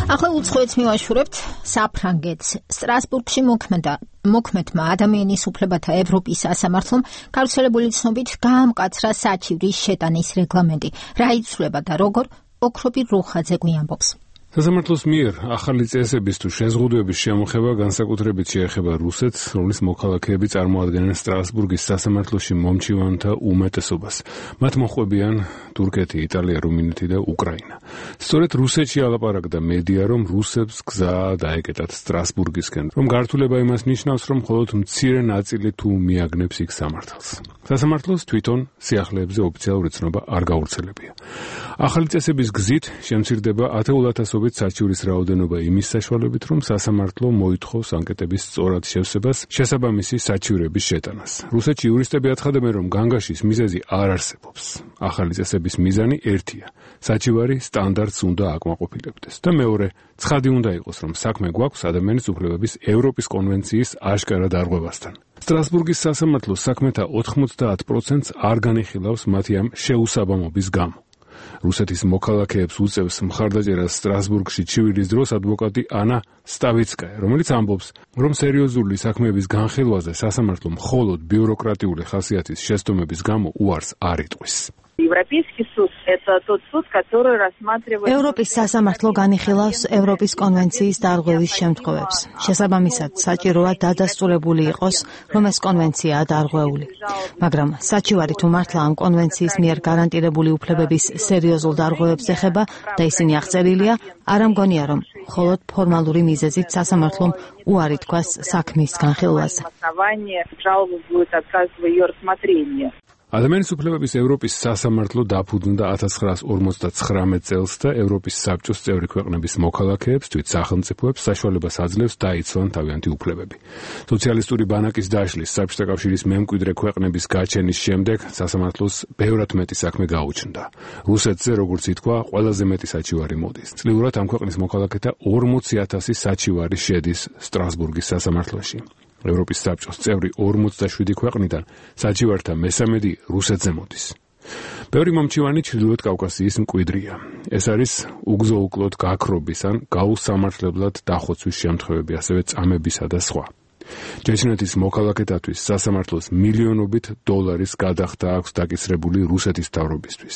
ახლა უცხოეთს მივაშურებთ საფრანგეთს. სტრასბურგში მოქმედა მოქმედმა ადამიანის უფლებათა ევროპის სასამართლომ გავრცელებული ცნობით გაამკაცრა საჩივრის შეტანის რეგლამენტი. რა იცვლება და როგორ, ოქრობი რუხაძე გვიამბობს. სასამართლოს მიერ ახალი წესების თუ შეზღუდვების შემოხება განსაკუთრებით შეეხება რუსეთს, რომლის მოქალაქეები წარმოადგენენ სტრასბურგის სასამართლოში მომჩივანთა უმეტესობას. მათ მოჰყვებიან თურქეთი, იტალია, რუმინეთი და უკრაინა. სწორედ რუსეთში ალაპარაკდა მედია, რომ რუსებს გზა დაეკეტათ სტრასბურგისკენ, რომ გართულება იმას ნიშნავს, რომ მხოლოდ მცირე ნაწილი თუ მიაგნებს იქ სამართალს. სასამართლოს თვითონ სიახლეებზე ოფიციალური ცნობა არ გავრცელებია. ახალი წესების გზით შემცირდება ათეულ ათასობით საჩივრის რაოდენობა იმის საშუალებით, რომ სასამართლო მოითხოვს ანკეტების სწორად შევსებას, შესაბამისი საჩივრების შეტანას. რუსეთში იურისტები აცხადებენ, რომ განგაშის მიზეზი არ არსებობს. ახალი წესების მიზანი ერთია: საჩივარი სტანდარტს უნდა აკმაყოფილებდეს და მეორე, ცხადი უნდა იყოს, რომ საქმე გვაქვს ადამიანის უფლებების ევროპის კონვენციის აშკარა დარღვევასთან. სტრასბურგის სასამართლოს საქმეთა ოთხმოცდაათ პროცენტს არ განიხილავს მათი ამ შეუსაბამობის გამო. რუსეთის მოქალაქეებს უწევს მხარდაჭერას სტრასბურგში ჩივილის დროს ადვოკატი ანა სტავიცკაია, რომელიც ამბობს, რომ სერიოზული საქმეების განხილვაზე სასამართლო მხოლოდ ბიუროკრატიული ხასიათის შესტომების გამო უარს არ იტყვის. ევროპის სასამართლო განიხილავს ევროპის კონვენციის დარღვევის შემთხვევებს. შესაბამისად, საჭიროა დადასტურებული იყოს, რომ ეს კონვენციაა დარღვეული. მაგრამ საჩივარი თუ მართლა ამ კონვენციის მიერ გარანტირებული უფლებების სერიოზულ დარღვევებს ეხება და ისინი აღწერილია, არ ამგონია, რომ მხოლოდ ფორმალური მიზეზით სასამართლომ უარი თქვას საქმის განხილვაზე. ადამიანის უფლებების ევროპის სასამართლო დაფუძნდა ათას ცხრაას ორმოცდაცხრამეტ წელს და ევროპის საბჭოს წევრი ქვეყნების მოქალაქეებს, თვით სახელმწიფოებს საშუალებას აძლევს დაიცვან თავიანთი უფლებები. სოციალისტური ბანაკის დაშლის, საბჭოთა კავშირის მემკვიდრე ქვეყნების გაჩენის შემდეგ სასამართლოს ბევრად მეტი საქმე გაუჩნდა. რუსეთზე, როგორც ითქვა, ყველაზე მეტი საჩივარი მოდის. წლიურად ამ ქვეყნის მოქალაქეთა ორმოცი ათასი საჩივარი შედის სტრასბურგის სასამართლოში. ევროპის საბჭოს წევრი ორმოცდაშვიდი ქვეყნიდან საჩივართა მესამედი რუსეთზე მოდის. ბევრი მომჩივანი ჩრდილოეთ კავკასიის მკვიდრია. ეს არის უგზო-უკლოდ გაქრობის ან გაუსამართლებლად დახოცვის შემთხვევები, ასევე წამებისა და სხვა. ჯეჩნეთის მოქალაქეთათვის სასამართლოს მილიონობით დოლარის გადახდა აქვს დაკისრებული რუსეთის მთავრობისთვის.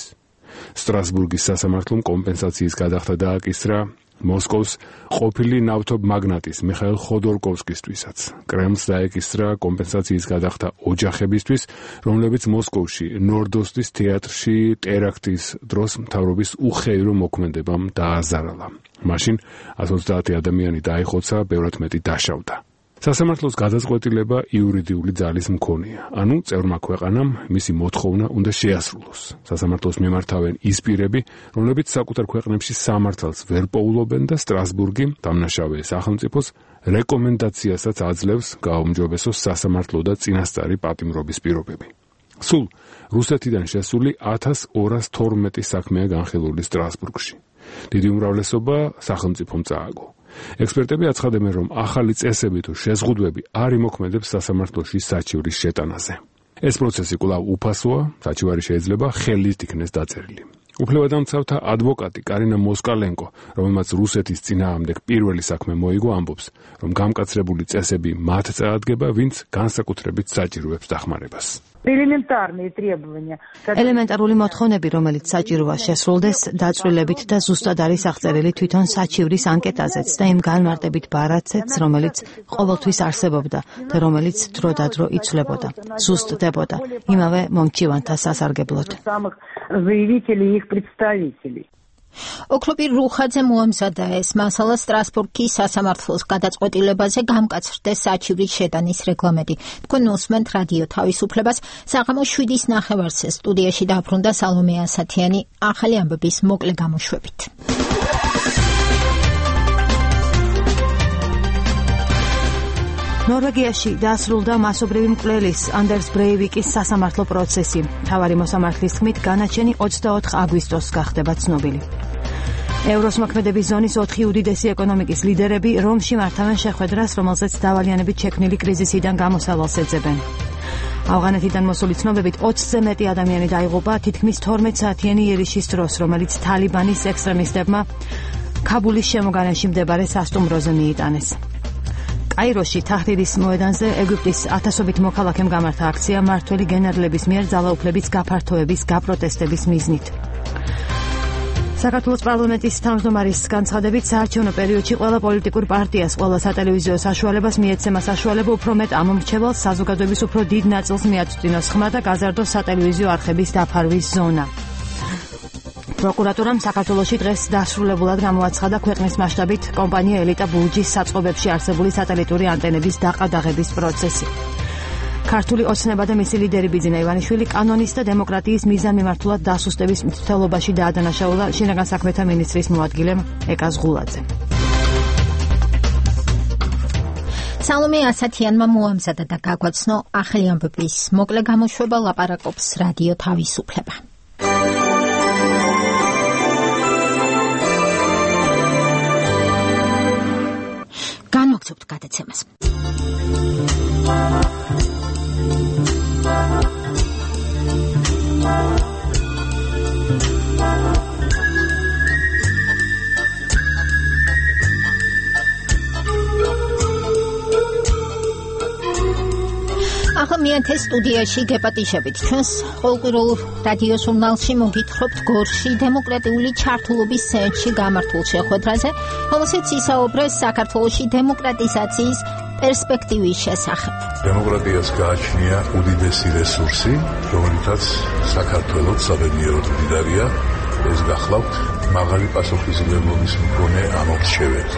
სტრასბურგის სასამართლომ კომპენსაციის გადახდა დააკისრა მოსკოვის ყოფილი ნავთობ მაგნატის მიხაილ ხოდორკოვსკისთვისაც. კრემლს დაეკისრა კომპენსაციის გადახდა ოჯახებისთვის, რომლებიც მოსკოვში ნორდოსტის თეატრში ტერაქტის დროს მთავრობის უხეირო მოქმედებამ დააზარალა. მაშინ ათს ოცდაათი ადამიანი დაიხოცა, ბევრად მეტი დაშავდა. სასამართლოს გადაწყვეტილება იურიდიული ძალის მქონეა, ანუ წევრმა ქვეყანამ მისი მოთხოვნა უნდა შეასრულოს. სასამართლოს მიმართავენ ის პირები, რომლებიც საკუთარ ქვეყნებში სამართალს ვერ პოულობენ და სტრასბურგი დამნაშავე სახელმწიფოს რეკომენდაციასაც აძლევს გააუმჯობესოს სასამართლო და წინასწარი პატიმრობის პირობები. სულ რუსეთიდან შესული ათას ორას თორმეტი საქმეა განხილული სტრასბურგში. დიდი უმრავლესობა სახელმწიფომ წააგო. ექსპერტები აცხადებენ, რომ ახალი წესები თუ შეზღუდვები არ იმოქმედებს სასამართლოში საჩივრის შეტანაზე. ეს პროცესი კვლავ უფასოა, საჩივარი შეიძლება ხელით იქნეს დაწერილი. უფლებადამცავთა ადვოკატი კარინა მოსკალენკო, რომელმაც რუსეთის წინააღმდეგ პირველი საქმე მოიგო, ამბობს, რომ გამკაცრებული წესები მათ წაადგება, ვინც განსაკუთრებით საჭიროებს დახმარებას. ელემენტარული მოთხოვნები, რომელიც საჭიროა შესრულდეს, დაწვრილებით და ზუსტად არის აღწერილი თვითონ საჩივრის ანკეტაზეც და იმ განმარტებით ბარათზეც, რომელიც ყოველთვის არსებობდა და რომელიც დროდადრო იცვლებოდა, ზუსტდებოდა იმავე მომჩივანთა სასარგებლოდ. ოქროპირ რუხაძე მოამზადა ეს მასალა სტრასბურგის სასამართლოს გადაწყვეტილებაზე გამკაცრდეს საჩივრის შეტანის რეგლამენტი. თქვენ უსმენთ რადიო თავისუფლებას, საღამო შვიდის ნახევარზე სტუდიაში დაბრუნდა სალომე ასათიანი ახალი ამბების მოკლე გამოშვებით. ნორვეგიაში დაასრულდა მასობრივი მკვლელის ანდერს ბრეივიკის სასამართლო პროცესი. მთავარი მოსამართლის თქმით, განაჩენი ოცდაოთხ აგვისტოს გახდება ცნობილი. ევროს მოქმედების ზონის ოთხი უდიდესი ეკონომიკის ლიდერები რომში მართავენ შეხვედრას, რომელზეც დავალიანებით შექმნილი კრიზისიდან გამოსავალს ეძებენ. ავღანეთიდან მოსული ცნობებით ოცზე მეტი ადამიანი დაიღუპა თითქმის თორმეტ საათიანი იერიშის დროს, რომელიც თალიბანის ექსტრემისტებმა ქაბულის შემოგარენში მდებარე სასტუმროზე მიიტანეს. კაიროში თაჰრირის მოედანზე ეგვიპტის ათასობით მოქალაქემ გამართა აქცია მმართველი გენერლების მიერ ძალაუფლების გაფართოების გაპროტესტების მიზნით. საქართველოს პარლამენტის თავმჯდომარის განცხადებით, საარჩევნო პერიოდში ყველა პოლიტიკურ პარტიას, ყველა სატელევიზიო საშუალებას მიეცემა საშუალება უფრო მეტ ამომრჩევალს საზოგადოების უფრო დიდ ნაწილს მიაწვდინოს ხმა და გაზარდოს სატელევიზიო არხების დაფარვის ზონა. პროკურატურამ საქართველოში დღეს დასრულებულად გამოაცხადა ქვეყნის მასშტაბით კომპანია ელიტა ბურჯის საწყობებში არსებული სატელიტური ანტენების დაყადაღების პროცესი. ქართული ოცნება და მისი ლიდერი ბიძინა ივანიშვილი კანონის და დემოკრატიის მიზანმიმართულად დასუსტების მცდელობაში დაადანაშაულა შინაგან საქმეთა მინისტრის მოადგილემ ეკა ზღულაძემ. სალომე ასათიანმა მოამზადა და გაგვაცნო ახალი ამბების მოკლე გამოშვება, ლაპარაკობს რადიო თავისუფლება. განვაგრძობთ გადაცემას. ახლა მეათე სტუდიაში გეპატიშებით. ჩვენს ყოველკვირეულ რადიო ჟურნალში მოგითხრობთ გორში დემოკრატიული ჩართულობის ცენტრში გამართულ შეხვედრაზე, რომელსაც ისაუბრეს საქართველოში დემოკრატიზაციის პერსპექტივის შესახებ. დემოკრატიას გააჩნია უდიდესი რესურსი, რომელთაც საქართველოს საბედნიეროდ მდიდარია, ეს გახლავთ მაღალი პასუხისმგებლობის მქონე ამორჩეველი.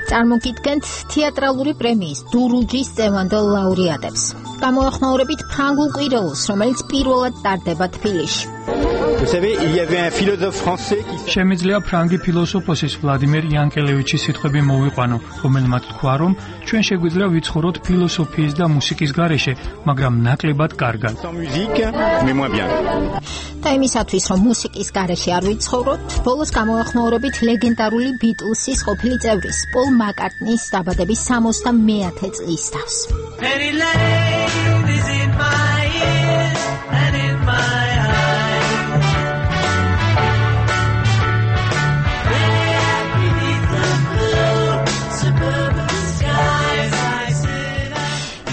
წარმოგიდგენთ თეატრალური პრემიის დურუჯის წევანდელ ლაურეატებს. გამოეხმაურებით ფრანგულ კვირეულს, რომელიც პირველად ტარდება თბილისში. შემიძლია ფრანგი ფილოსოფოსის ვლადიმერ იანკელევიჩის სიტყვები მოვიყვანო, რომელმაც თქვა, რომ ჩვენ შეგვიძლია ვიცხოვროთ ფილოსოფიის და მუსიკის გარეშე, მაგრამ ნაკლებად კარგად. და იმისათვის, რომ მუსიკის გარეშე არ ვიცხოვროთ, ბოლოს გამოეხმაურებით ლეგენდარული ბიტლსის ყოფილი წევრის პოლ მაკარტნის დაბადების სამოცდამეათე წლის თავს.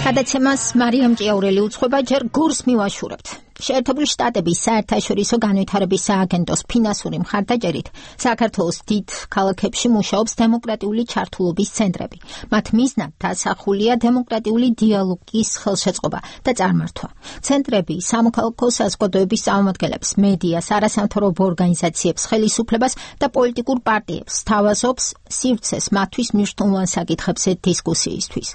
გადაცემას მარიამ ჭიაურელი უძღვება, ჯერ გორს მივაშურებთ. შეერთებული შტატების საერთაშორისო განვითარების სააგენტოს ფინანსური მხარდაჭერით საქართველოს დიდ ქალაქებში მუშაობს დემოკრატიული ჩართულობის ცენტრები. მათ მიზნად დასახულია დემოკრატიული დიალოგის ხელშეწყობა და წარმართვა. ცენტრები სამოქალაქო საზოგადოების წარმომადგენლებს, მედიას, არასამთავრობო ორგანიზაციებს, ხელისუფლებას და პოლიტიკურ პარტიებს სთავაზობს სივრცეს მათთვის მნიშვნელოვან საკითხებზე დისკუსიისთვის.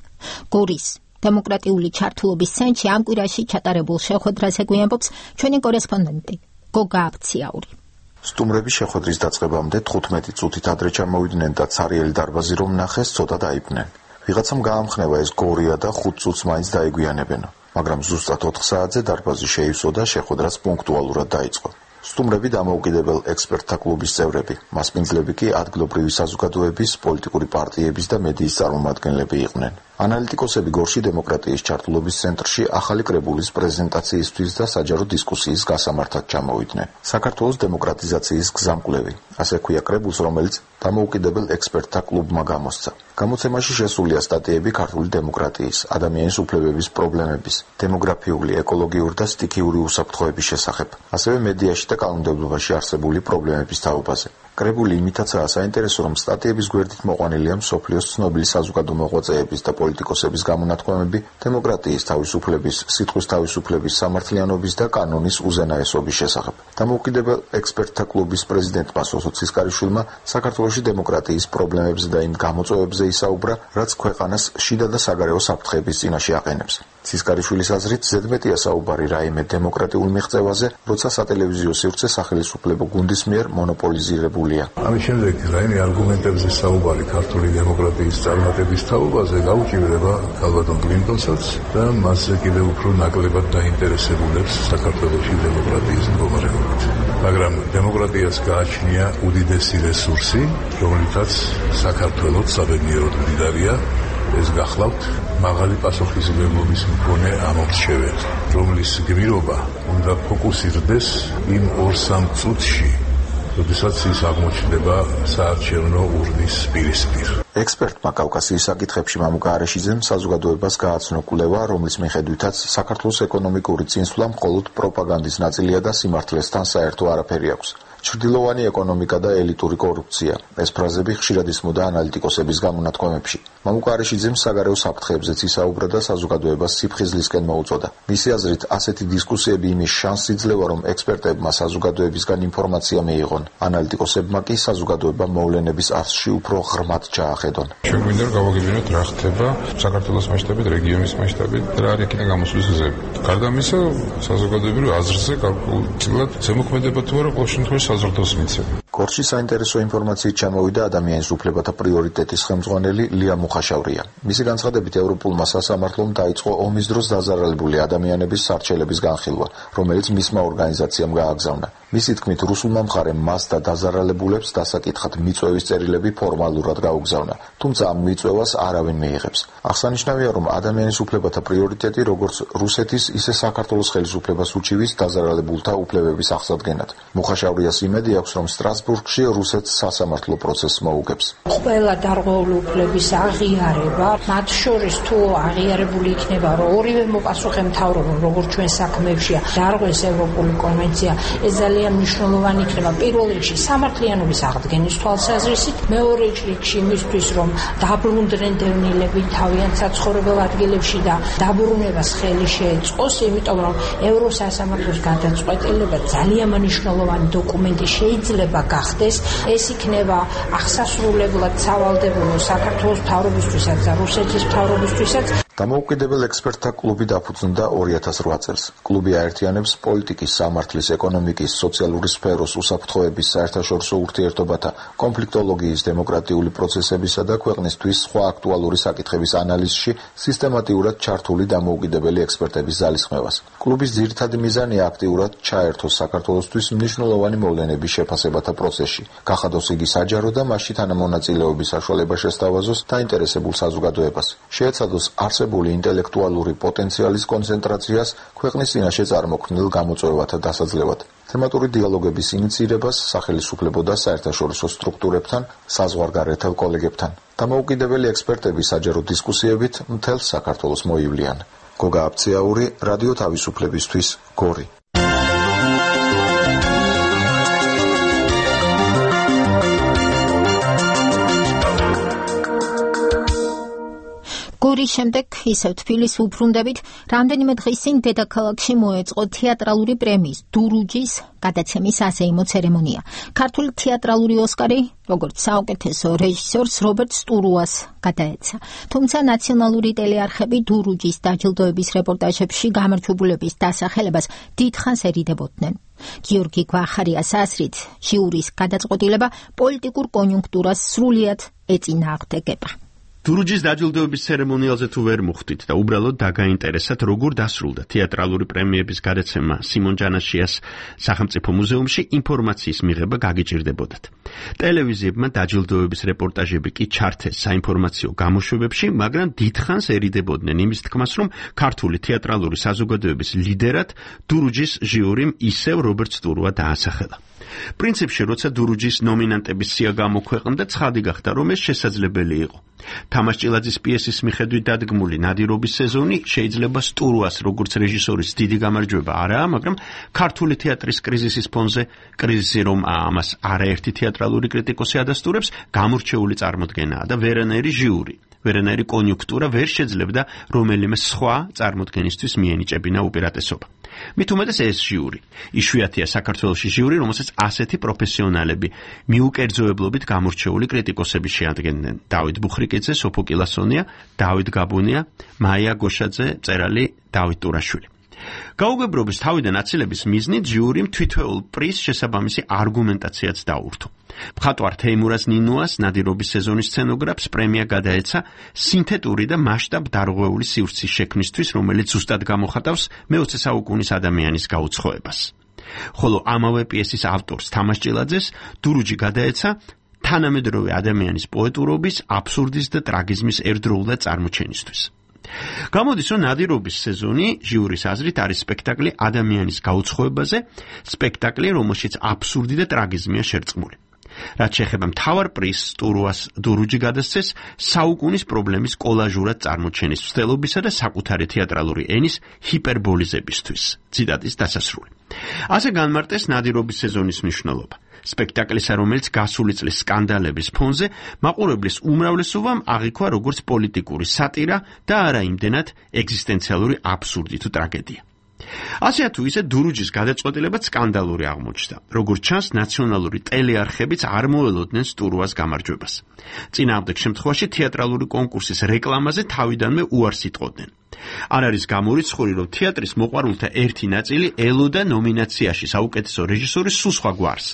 გორის დემოკრატიული ჩართულობის ცენტრში ამ კვირაში ჩატარებულ შეხვედრაზე გვიამბობს ჩვენი კორესპონდენტი გოგა აბციაური. სტუმრები შეხვედრის დაწყებამდე თხუთმეტი წუთით ადრე ჩამოვიდნენ და ცარიელი დარბაზი რომ ნახეს, ცოტა დაიბნენ. ვიღაცამ გაამხნევა ეს გორია და ხუთ წუთს მაინც დაეგვიანებენა, მაგრამ ზუსტად ოთხ საათზე დარბაზი შეივსო და შეხვედრაც პუნქტუალურად დაიწყო. სტუმრები დამოუკიდებელ ექსპერტთა კლუბის წევრები, მასპინძლები კი ადგილობრივი საზოგადოების, პოლიტიკური პარტიების და მედიის წარმომადგენლები იყვნენ. ანალიტიკოსები გორში დემოკრატიის ჩართულობის ცენტრში ახალი კრებულის პრეზენტაციისთვის და საჯარო დისკუსიის გასამართად ჩამოვიდნენ. საქართველოს დემოკრატიზაციის გზამკვლევი, ასე ქვია კრებულს, რომელიც დამოუკიდებელ ექსპერტთა კლუბმა გამოსცა. გამოცემაში შესულია სტატიები ქართული დემოკრატიის, ადამიანის უფლებების პრობლემების, დემოგრაფიული, ეკოლოგიური და სტიქიური უსაფრთხოების შესახებ, ასევე მედიაში და კანონმდებლობაში არსებული პრობლემების თაობაზე. კრებული იმითაცაა საინტერესო, რომ სტატიების გვერდით მოყვანილია მსოფლიოს ცნობილი საზოგადო მოღვაწეების და პოლიტიკოსების გამონათქვამები დემოკრატიის, თავისუფლების, სიტყვის თავისუფლების, სამართლიანობის და კანონის უზენაესობის შესახებ. დამოუკიდებელ ექსპერტთა კლუბის პრეზიდენტმა სოსო ცისკარიშვილმა საქართველოში დემოკრატიის პრობლემებზე და იმ გამოწვევებზე ისაუბრა, რაც ქვეყანას შიდა და საგარეო საფრთხეების წინაშე აყენებს. ცისკარიშვილის აზრით ზედმეტია საუბარი რაიმე დემოკრატიულ მიღწევაზე, როცა სატელევიზიო სივრცე სახელისუფლებო გუნდის მიერ მონოპოლიზირებულია. ამის შემდეგ რაიმე არგუმენტებზე საუბარი ქართული დემოკრატიის წარმატების თაობაზე გაუჭირდება ქალბატონ კლინტონსაც და მასზე კიდევ უფრო ნაკლებად დაინტერესებულებს საქართველოში დემოკრატიის მდგომარეობით. მაგრამ დემოკრატიას გააჩნია უდიდესი რესურსი, რომლითაც საქართველოს საბედნიეროდ მდიდარია. ეს გახლავთ მაღალი პასუხისმგებლობის მქონე ამორჩეველი, რომლის გმირობა უნდა ფოკუსირდეს იმ ორ-სამ წუთში, როდესაც ის აღმოჩნდება საარჩევნო ურნის პირისპირ. ექსპერტმა კავკასიის საკითხებში მამუკა არეშიძემ საზოგადოებას გააცნო კვლევა, რომლის მიხედვითაც საქართველოს ეკონომიკური წინსვლა მხოლოდ პროპაგანდის ნაწილია და სიმართლესთან საერთო არაფერი აქვს. ჩრდილოვანი ეკონომიკა და ელიტური კორუფცია. ეს ფრაზები ხშირად ისმოდა ანალიტიკოსების გამონათქვამებში. მამუკა არეშიძემ საგარეო საფრთხეებზეც ისაუბრა და საზოგადოებას სიფხიზლისკენ მოუწოდა. მისი აზრით, ასეთი დისკუსიები იმის შანსს იძლევა, რომ ექსპერტებმა საზოგადოებისგან ინფორმაცია მიიღონ. ანალიტიკოსებმა კი საზოგადოება მოვლენების არსში უფრო ღრმად ჩაახედონ. შეგვინდა რომ გავაგებინოთ რა ხდება საქართველოს მასშტაბით, რეგიონის მასშტაბით და რა იქნება გამოსulis გზები. გარდა ამისა, საზოგადოებრივ აზრზე გარკვეულად ზემოქმედება თუ არა ყოველ შემთხვევაში საზრდოს მიცემ. გორში საინტერესო ინფორმაციით ჩამოვიდა ადამიანის უფლებათა პრიორიტეტის ხელმძღვანელი ლია მუხაშავრია. მისი განცხადებით, ევროპულმა სასამართლომ დაიწყო ომის დროს დაზარალებული ადამიანების სარჩელების განხილვა, რომელიც მისმა ორგანიზაციამ გააგზავნა. მისი თქმით, რუსულმა მხარემ მას და დაზარალებულებს დასაკითხად მიწვევის წერილები ფორმალურად გაუგზავნა, თუმცა ამ მიწვევას არავინ მიიღებს. აღსანიშნავია, რომ ადამიანის უფლებათა პრიორიტეტი როგორც რუსეთის, ისე საქართველოს ხელისუფლებას უჩივის დაზარალებულთა უფლებების აღსადგენად. მუხაშავრიას იმედი აქვს, რომ სტრასბურგში რუსეთს სასამართლო პროცესს მოუგებს. ყველა დარღვეული უფლების აღიარება, მათ შორის თუ აღიარებული იქნება, რომ ორივე მოპასუხემთავრებო, როგორც ჩვენ საქმეებშია, დარღვეს ევროპული კონვენცია, ეს ძალიან მნიშვნელოვანი იქნება პირველ რიგში სამართლიანობის აღდგენის თვალსაზრისით, მეორე რიგში იმისთვის, რომ დაბრუნდნენ დევნილები თავიანთ საცხოვრებელ ადგილებში და დაბრუნებას ხელი შეეწყოს, იმიტომ რომ ევროსასამართლოს გადაწყვეტილება ძალიან მნიშვნელოვანი დოკუმენტი შეიძლება გახდეს. ეს იქნება აღსასრულებლად სავალდებულო საქართველოს მთავრობისთვისაც და რუსეთის მთავრობისთვისაც. დამოუკიდებელ ექსპერტთა კლუბი დაფუძნდა ორი ათას რვა წელს. კლუბი აერთიანებს პოლიტიკის, სამართლის, ეკონომიკის, სოციალური სფეროს, უსაფრთხოების, საერთაშორისო ურთიერთობათა, კონფლიქტოლოგიის, დემოკრატიული პროცესებისა და ქვეყნისთვის სხვა აქტუალური საკითხების ანალიზში სისტემატიურად ჩართული დამოუკიდებელი ექსპერტების ძალისხმევას. კლუბის ძირითადი მიზანია აქტიურად ჩაერთოს საქართველოსთვის მნიშვნელოვანი მოვლენების შეფასებათა პროცესში, გახადოს იგი საჯარო და მასში თანამონაწილეობის საშუალება შესთავაზოს დაინტერესებულ საზოგადოებას. შეეცადოს არსებული ინტელექტუალური პოტენციალის კონცენტრაციას ქვეყნის წინაშე წარმოქმნილ გამოწვევათა დასაძლევად. თემატური დიალოგების ინიციირებას სახელისუფლებო და საერთაშორისო სტრუქტურებთან, საზღვარგარეთელ კოლეგებთან. დამოუკიდებელი ექსპერტები საჯარო დისკუსიებით მთელ საქართველოს მოივლიან. გოგა აბციაური, რადიო თავისუფლებისთვის, გორი. გორის შემდეგ ისევ თბილისს უბრუნდებით, რამდენიმე დღის წინ დედაქალაქში მოეწყო თეატრალური პრემიის დურუჯის გადაცემის ასეიმო ცერემონია. ქართული თეატრალური ოსკარი, როგორც საუკეთესო რეჟისორს რობერტ სტურუას გადაეცა. თუმცა ნაციონალური ტელეარხები დურუჯის დაჯილდოების რეპორტაჟებში გამარჯვებულების დასახელებას დიდხანს ერიდებოდნენ. გიორგი გვახარიას აზრით, ჟიურის გადაწყვეტილება პოლიტიკურ კონიუნქტურას სრულიად ეწინააღმდეგება. დურუჯის დაჯილდოების ცერემონიალზე თუ ვერ მოხვდით და უბრალოდ დაგაინტერესათ, როგორ დასრულდა თეატრალური პრემიების გადაცემა სიმონ ჯანაშიას სახელმწიფო მუზეუმში, ინფორმაციის მიღება გაგიჭირდებოდათ. ტელევიზიებმა დაჯილდოების რეპორტაჟები კი ჩართეს საინფორმაციო გამოშვებებში, მაგრამ დიდხანს ერიდებოდნენ იმის თქმას, რომ ქართული თეატრალური საზოგადოების ლიდერად დურუჯის ჟიურიმ ისევ რობერტ სტურუა დაასახელა. პრინციპში, როცა დურუჯის ნომინანტების სია გამოქვეყნდა, ცხადი გახდა, რომ ეს შესაძლებელი იყო. თამაშ ჭილაძის პიესის მიხედვით დადგმული ნადირობის სეზონი შეიძლება სტურუას როგორც რეჟისორის დიდი გამარჯვება არაა, მაგრამ ქართული თეატრის კრიზისის ფონზე, კრიზისი რომ ამას არაერთი თეატრალური კრიტიკოსი ადასტურებს, გამორჩეული წარმოდგენაა და ვერანაირი ჟიური, ვერანაირი კონიუნქტურა ვერ შეძლებდა რომელიმე სხვა წარმოდგენისთვის მიენიჭებინა უპირატესობა. მით უმეტეს ეს ჟიური. იშვიათია საქართველოში ჟიური, რომელსაც ასეთი პროფესიონალები მიუკერძოებლობით გამორჩეული კრიტიკოსები შეადგენდნენ. დავით ბუხრიკიძე, სოფო კილასონია, დავით გაბუნია, მაია გოშაძე, მწერალი დავით ტურაშვილი. გაუგებრობის თავიდან აცილების მიზნით ჟიურიმ თვითეულ პრიზს შესაბამისი არგუმენტაციაც დაურთო. მხატვარ თეიმურაზ ნინუას ნადირობის სეზონის სცენოგრაფს პრემია გადაეცა სინთეტური და მასშტაბ დარღვეული სივრცის შექმნისთვის, რომელიც ზუსტად გამოხატავს მეოცე საუკუნის ადამიანის გაუცხოებას. ხოლო ამავე პიესის ავტორს თამაშ ჭილაძეს დურუჯი გადაეცა თანამედროვე ადამიანის პოეტურობის, აბსურდის და ტრაგიზმის ერთდროულად წარმოჩენისთვის. გამოდის, რომ ნადირობის სეზონი ჟიურის აზრით არის სპექტაკლი ადამიანის გაუცხოებაზე, სპექტაკლი, რომელშიც აბსურდი და ტრაგიზმია შერწყმული. რაც შეეხება მთავარ პრიზს, სტურუას დურუჯი გადასცეს საუკუნის პრობლემის კოლაჟურად წარმოჩენის მცდელობისა და საკუთარი თეატრალური ენის ჰიპერბოლიზებისთვის. ციტატის დასასრული. ასე განმარტეს ნადირობის სეზონის მნიშვნელობა. სპექტაკლისა, რომელიც გასული წლის სკანდალების ფონზე მაყურებლის უმრავლესობამ აღიქვა როგორც პოლიტიკური სატირა და არა იმდენად ეგზისტენციალური აბსურდი თუ ტრაგედია. ასეა თუ ისე დურუჯის გადაწყვეტილებაც სკანდალური აღმოჩნდა. როგორც ჩანს, ნაციონალური ტელეარხებიც არ მოელოდნენ სტურუას გამარჯვებას. წინააღმდეგ შემთხვევაში თეატრალური კონკურსის რეკლამაზე თავიდანვე უარს იტყოდნენ. არ არის გამორიცხული, რომ თეატრის მოყვარულთა ერთი ნაწილი ელოდა ნომინაციაში საუკეთესო რეჟისორის სულ სხვა გვარს.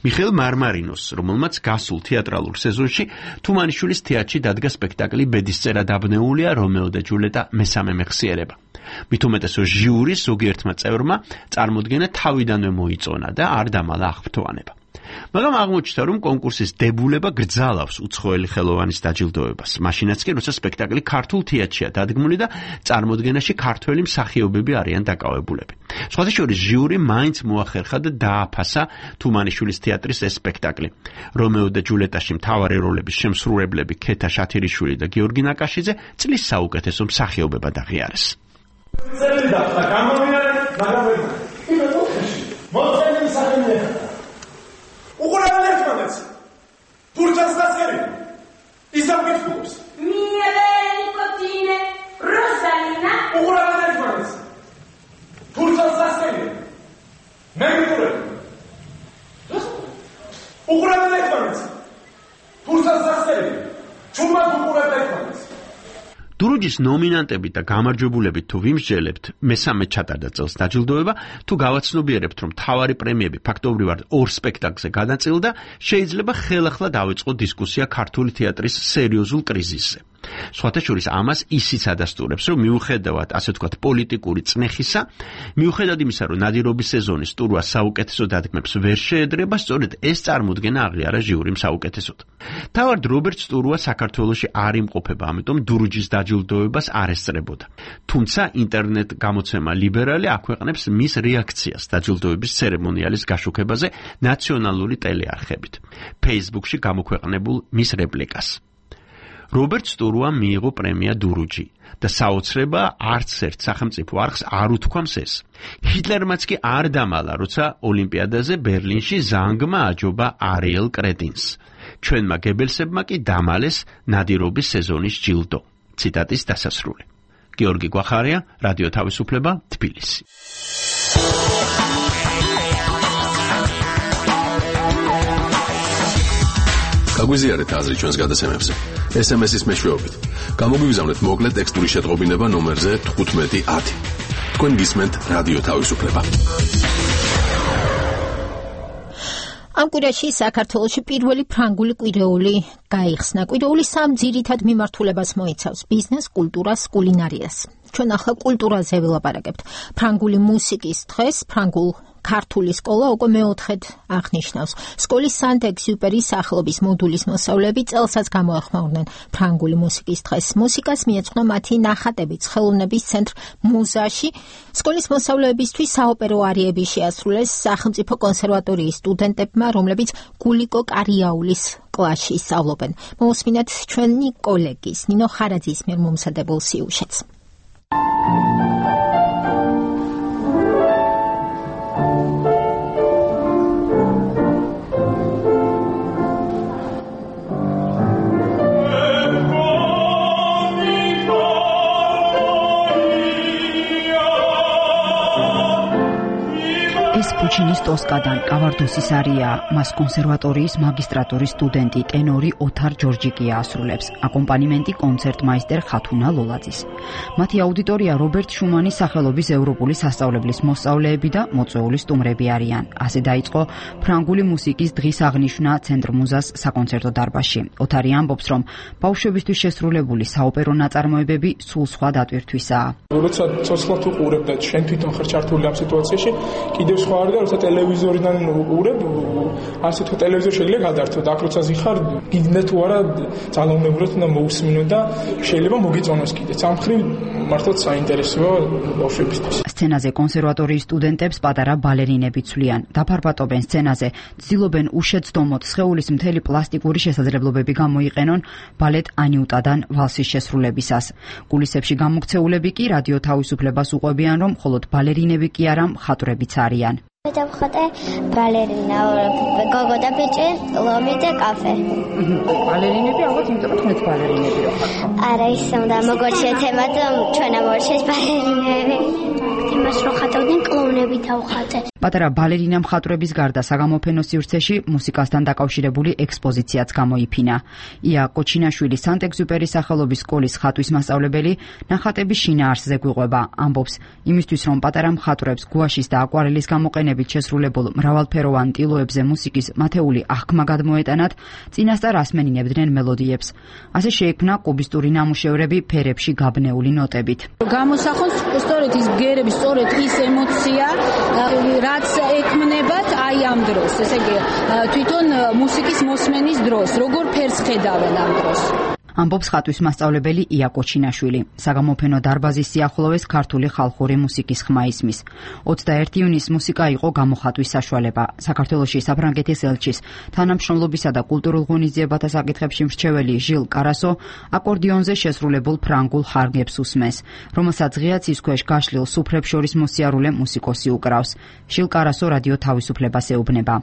მიხეილ მარმარინოს, რომელმაც გასულ თეატრალურ სეზონში თუმანიშვილის თეატრში დადგა სპექტაკლი ბედისწერა დაბნეულია რომეო და ჯულეტა მესამე მეხსიერება. მით უმეტესო ჟიურის ზოგიერთმა წევრმა წარმოდგენა თავიდანვე მოიწონა და არ დამალა აღფრთოვანება. მაგრამ აღმოჩნდა, რომ კონკურსის დებულება გრძალავს უცხოელი ხელოვანის დაჯილდოებას. მაშინაც კი, როცა სპექტაკლი ქართულ თეატრშია დადგმული და წარმოდგენაში ქართველი მსახიობები არიან დაკავებულები. სხვათა შორის ჟიური მაინც მოახერხა და დააფასა თუმანიშვილის თეატრის ეს სპექტაკლი. რომეო და ჯულეტაში მთავარი როლების შემსრულებლები ქეთა შათირიშვილი და გიორგი ნაკაშიძე წლის საუკეთესო მსახიობებად აღიარეს. უყურებელ ერთმანეთს თურქეთს დასწერი ის ამგეთულობს მიელენი კოტინე როსალინა უყურებელ ერთმანეთს თურქეთს დასწერი მე მიყურებ უყურებელ ერთმანეთს თურქეთს დასწერი ჩუმად უყურებელ ერთმანეთს დურუჯის ნომინანტებით და გამარჯვებულებით თუ ვიმსჯელებთ, მესამე ჩატარდა წელს დაჯილდოება, თუ გავაცნობიერებთ, რომ მთავარი პრემიები ფაქტობრივად ორ სპექტაკლზე გადაწილდა, შეიძლება ხელახლა დავიწყო დისკუსია ქართული თეატრის სერიოზულ კრიზისზე. სხვათა შორის ამას ისიც ადასტურებს, რომ მიუხედავად, ასე ვთქვათ, პოლიტიკური წნეხისა, მიუხედავად იმისა, რომ ნადირობის სეზონის სტურუას საუკეთესო დადგმებს ვერ შეედრება, სწორედ ეს წარმოდგენა აღიარა ჟიურიმ საუკეთესოდ. თავად რობერტ სტურუა საქართველოში არ იმყოფება, ამიტომ დურუჯის დაჯილდოებას არ ესწრებოდა. თუმცა ინტერნეტ გამოცემა ლიბერალი აქვეყნებს მის რეაქციას დაჯილდოების ცერემონიალის გაშუქებაზე ნაციონალური ტელეარხებით. Facebook-ში გამოქვეყნებულ მის რეპლიკას. რობერტ სტურუამ მიიღო პრემია დურუჯი და საოცრება არც ერთ სახელმწიფო არხს არ უთქვამს ეს. ჰიტლერმაც კი არ დამალა, როცა ოლიმპიადაზე ბერლინში ზანგმა აჯობა არიელ კრეტინს. ჩვენმა გებელსებმა კი დამალეს ნადირობის სეზონის ჯილდო. ციტატის დასასრული. გიორგი გვახარია, რადიო თავისუფლება, თბილისი. გაგვიზიარეთ აზრი ჩვენს გადაცემებზე. ეს ემ ეს-ის მეშვეობით. გამოგვიგზავნეთ მოკლე ტექსტური შეტყობინება ნომერზე თხუთმეტი ათი. თქვენ გისმენთ რადიო თავისუფლება. ამ კვირაში საქართველოში პირველი ფრანგული კვირეული გაიხსნა. კვირეული სამ ძირითად მიმართულებას მოიცავს: ბიზნეს, კულტურას, კულინარიას. ჩვენ ახლა კულტურაზე ვილაპარაკებთ. ფრანგული მუსიკის დღეს ფრანგულ ქართული სკოლა უკვე მეოთხედ აღნიშნავს. სკოლის სანტ-ეგზიუპერის სახელობის მოდულის მოსწავლეები წელსაც გამოეხმაურნენ ფრანგული მუსიკის დღეს. მუსიკას მიეძღვნა მათი ნახატებიც ხელოვნების ცენტრ მუზაში. სკოლის მოსწავლეებისთვის საოპერო არიები შეასრულეს სახელმწიფო კონსერვატორიის სტუდენტებმა, რომლებიც გულიკო კარიაულის კლასში სწავლობენ. მოусმინეთ ჩვენი კოლეგის ნინო ხარაძის მიერ მომზადებულ სიუჟეტს. პუჩინის ტოსკადან კავარდოსის არია, მას კონსერვატორიის მაგისტრატურის სტუდენტი ტენორი ოთარ ჯორჯიკია ასრულებს, აკომპანიმენტი კონცერტმაისტერ ხათუნა ლოლაძის. მათი აუდიტორია რობერტ შუმანის სახელობის ევროპული სასწავლებლის მოსწავლეები და მოწვეული სტუმრები არიან. ასე დაიწყო ფრანგული მუსიკის დღის აღნიშვნა ცენტრ მუზას საკონცერტო დარბაზში. ოთარი ამბობს, რომ ბავშვებისთვის შესრულებული საოპერო ნაწარმოებები სულ სხვა დატვირთვისაა. როცა ცოცხლად უყურებ და შენ თვითონ ხარ ჩართული ამ სიტუაციაში, კიდევ სხვა არის და როცა ტელევიზორიდან უყურებ, ასე თუ ტელევიზორ შეიძლება გადართო და აქ როცა ზიხარ, გიგნე თუ არა ძალაუნებურად უნდა მოусმინო და შეიძლება მოგიწონოს კიდეც. ამ მხრივ მართლაც საინტერესოა ბავშვებისთვის. სცენაზე კონსერვატორიის სტუდენტებს პატარა ბალერინები ცვლიან. დაფარბატობენ სცენაზე, ცდილობენ უშეცდომოდ სხეულის მთელი პლასტიკური შესაძლებლობები გამოიყენონ ბალეტ ანიუტადან ვალსის შესრულებისას. კულისებში გამოქცეულები კი რადიო თავისუფლებას უყვებიან, რომ მხოლოდ ბალერინები კი არა, მხატვრებიც არიან. დავხატე ბალერინა, გოგო და ბიჭი, ლომი და კაფე. ბალერინები ალბათ იმიტომ რომ თქვენც ბალერინები რო ხართ. არა, ისე უნდა მოგორჩეთ ემად, ჩვენ ამორჩეთ ბალერინები. იმას რო ხატავდნენ კლოუნები დავხატე. პატარა ბალერინა მხატვრების გარდა საგამოფენო სივრცეში მუსიკასთან დაკავშირებული ექსპოზიციაც გამოიფინა. ია კოჩინაშვილი სანტ-ეგზიუპერის სახელობის სკოლის ხატვის მასწავლებელი ნახატების შინაარსზე გვიყვება. ამბობს, იმისთვის რომ პატარა მხატვრებს გუაშის და აკვარელის გამოყენებით შესრულებულ მრავალფეროვან ტილოებზე მუსიკის მათეული აღქმა გადმოეტანათ, წინასწარ ასმენინებდნენ მელოდიებს. ასე შეიქმნა კუბისტური ნამუშევრები ფერებში გაბნეული ნოტებით. გამოსახოს სწორედ ის ბგერები, სწორედ ის ემოცია, რაც ექმნებათ აი ამ დროს, ესე იგი თვითონ მუსიკის მოსმენის დროს, როგორ ფერს ხედავენ ამ დროს. ამბობს ხატვის მასწავლებელი ია კოჩინაშვილი. საგამოფენო დარბაზის სიახლოვეს ქართული ხალხური მუსიკის ხმა ისმის. ოცდაერთი ივნისს მუსიკა იყო გამოხატვის საშუალება. საქართველოში საფრანგეთის ელჩის თანამშრომლობისა და კულტურულ ღონისძიებათა საკითხებში მრჩეველი ჟილ კარასო აკორდიონზე შესრულებულ ფრანგულ ხარგებს უსმენს, რომელსაც ღია ცის ქვეშ გაშლილ სუფრებს შორის მოსიარულე მუსიკოსი უკრავს. ჟილ კარასო რადიო თავისუფლებას ეუბნება.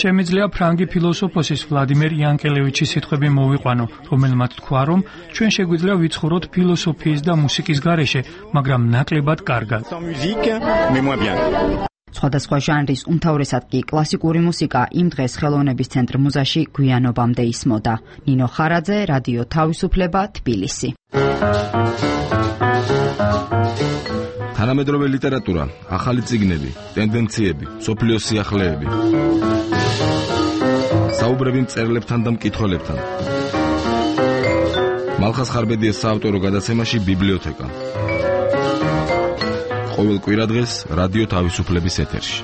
შემიძლია ფრანგი ფილოსოფოსის ვლადიმერ იანკელევიჩის სიტყვები მოვიყვანო, რომელმაც თქვა, რომ ჩვენ შეგვიძლია ვიცხოვროთ ფილოსოფიის და მუსიკის გარეშე, მაგრამ ნაკლებად კარგად. სხვადასხვა ჟანრის, უმთავრესად კი კლასიკური მუსიკა იმ დღეს ხელოვნების ცენტრ მუზაში გვიანობამდე ისმოდა. ნინო ხარაძე, რადიო თავისუფლება, თბილისი. თანამედროვე ლიტერატურა, ახალი წიგნები, ტენდენციები, სოფლიოს სიახლეები. საუბრები მწერლებთან და მკითხველებთან. მალხას ხარბედიას საავტორო გადაცემაში ბიბლიოთეკა. ყოველ კვირადღეს რადიო თავისუფლების ეთერში.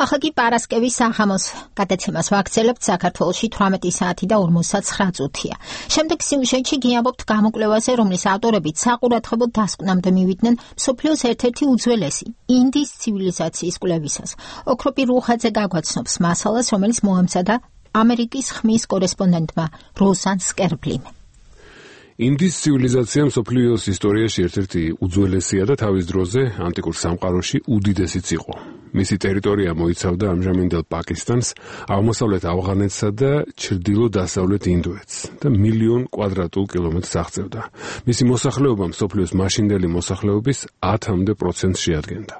ახლა კი პარასკევის საღამოს გადაცემას ვაგრძელებთ. საქართველოში თვრამეტი საათი და ორმოცდაცხრა წუთია. შემდეგ სიუჟეტში გიამბობთ გამოკვლევაზე, რომლის ავტორებიც საყურადღებო დასკვნამდე მივიდნენ მსოფლიოს ერთ-ერთი უძველესი ინდის ცივილიზაციის კვლევისას. ოქროპი რუხაძე გაგვაცნობს მასალას, რომელიც მოამზადა ამერიკის ხმის კორესპონდენტმა როზან სკერბლიმ. ინდის ცივილიზაცია მსოფლიოს ისტორიაში ერთ-ერთი უძველესია და თავის დროზე ანტიკურ სამყაროში უდიდესიც იყო. მისი ტერიტორია მოიცავდა ამჟამინდელ პაკისტანს, აღმოსავლეთ ავღანეთსა და ჩრდილო-დასავლეთ ინდოეთს და მილიონ კვადრატულ კილომეტრს აღწევდა. მისი მოსახლეობა მსოფლიოს მაშინდელი მოსახლეობის ათამდე პროცენტს შეადგენდა.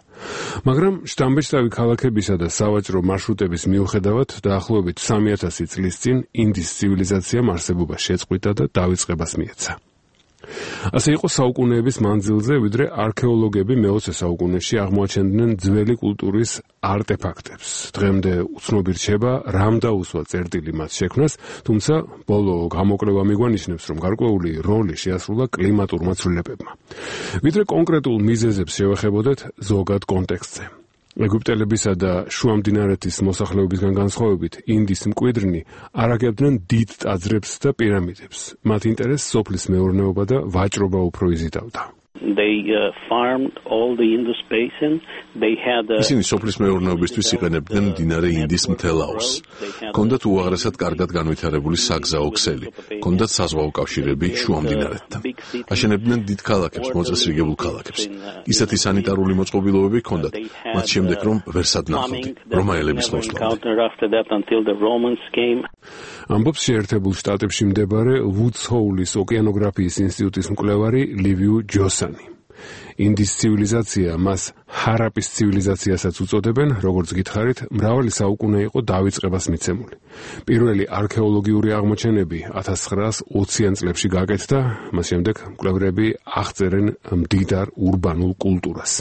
მაგრამ შთამბეჭდავი ქალაქებისა და სავაჭრო მარშრუტების მიუხედავად დაახლოებით სამი ათასი წლის წინ ინდის ცივილიზაციამ არსებობა შეწყვიტა და დავიწყებას მიეცა. ასე იყო საუკუნეების მანძილზე, ვიდრე არქეოლოგები მეოცე საუკუნეში აღმოაჩენდნენ ძველი კულტურის არტეფაქტებს. დღემდე უცნობი რჩება, რამ დაუსვა წერტილი მათ შექმნას, თუმცა ბოლო გამოკვლევა მიგვანიშნებს, რომ გარკვეული როლი შეასრულა კლიმატურმა ცვლილებებმა. ვიდრე კონკრეტულ მიზეზებს შევეხებოდეთ ზოგად კონტექსტზე. ეგვიპტელებისა და შუამდინარეთის მოსახლეობისგან განსხვავებით, ინდის მკვიდრნი არაგებდნენ დიდ ტაძრებს და პირამიდებს. მათ ინტერესს სოფლის მეურნეობა და ვაჭრობა უფრო იზიდავდა. They uh, farmed all the Indus basin. They had a... ისინი სოფლის მეურნეობისთვის იყენებდნენ მდინარე ინდის მთელ აუზს. ჰქონდათ უაღრესად კარგად განვითარებული საგზაო ქსელი, ჰქონდათ საზღვაო კავშირები შუამდინარეთთან. აშენებდნენ დიდ ქალაქებს, მოწესრიგებულ ქალაქებს. ისეთი სანიტარული მოწყობილობები ჰქონდათ, მათ შემდეგ რომ ვერ სადნახავდი, რომაელების მოსვლამდე. ამბობს შეერთებულ შტატებში მდებარე ვუდს ჰოულის ოკეანოგრაფიის ინსტიტუტის მკვლევარი ლივიუ ჯოსანი. ინდის ცივილიზაცია მას ჰარაპის ცივილიზაციასაც უწოდებენ, როგორც გითხარით, მრავალი საუკუნე იყო დავიწყებას მიცემული. პირველი არქეოლოგიური აღმოჩენები ათას ცხრაას ოციან წლებში გაკეთდა, მას შემდეგ მკვლევრები აღწერენ მდიდარ ურბანულ კულტურას.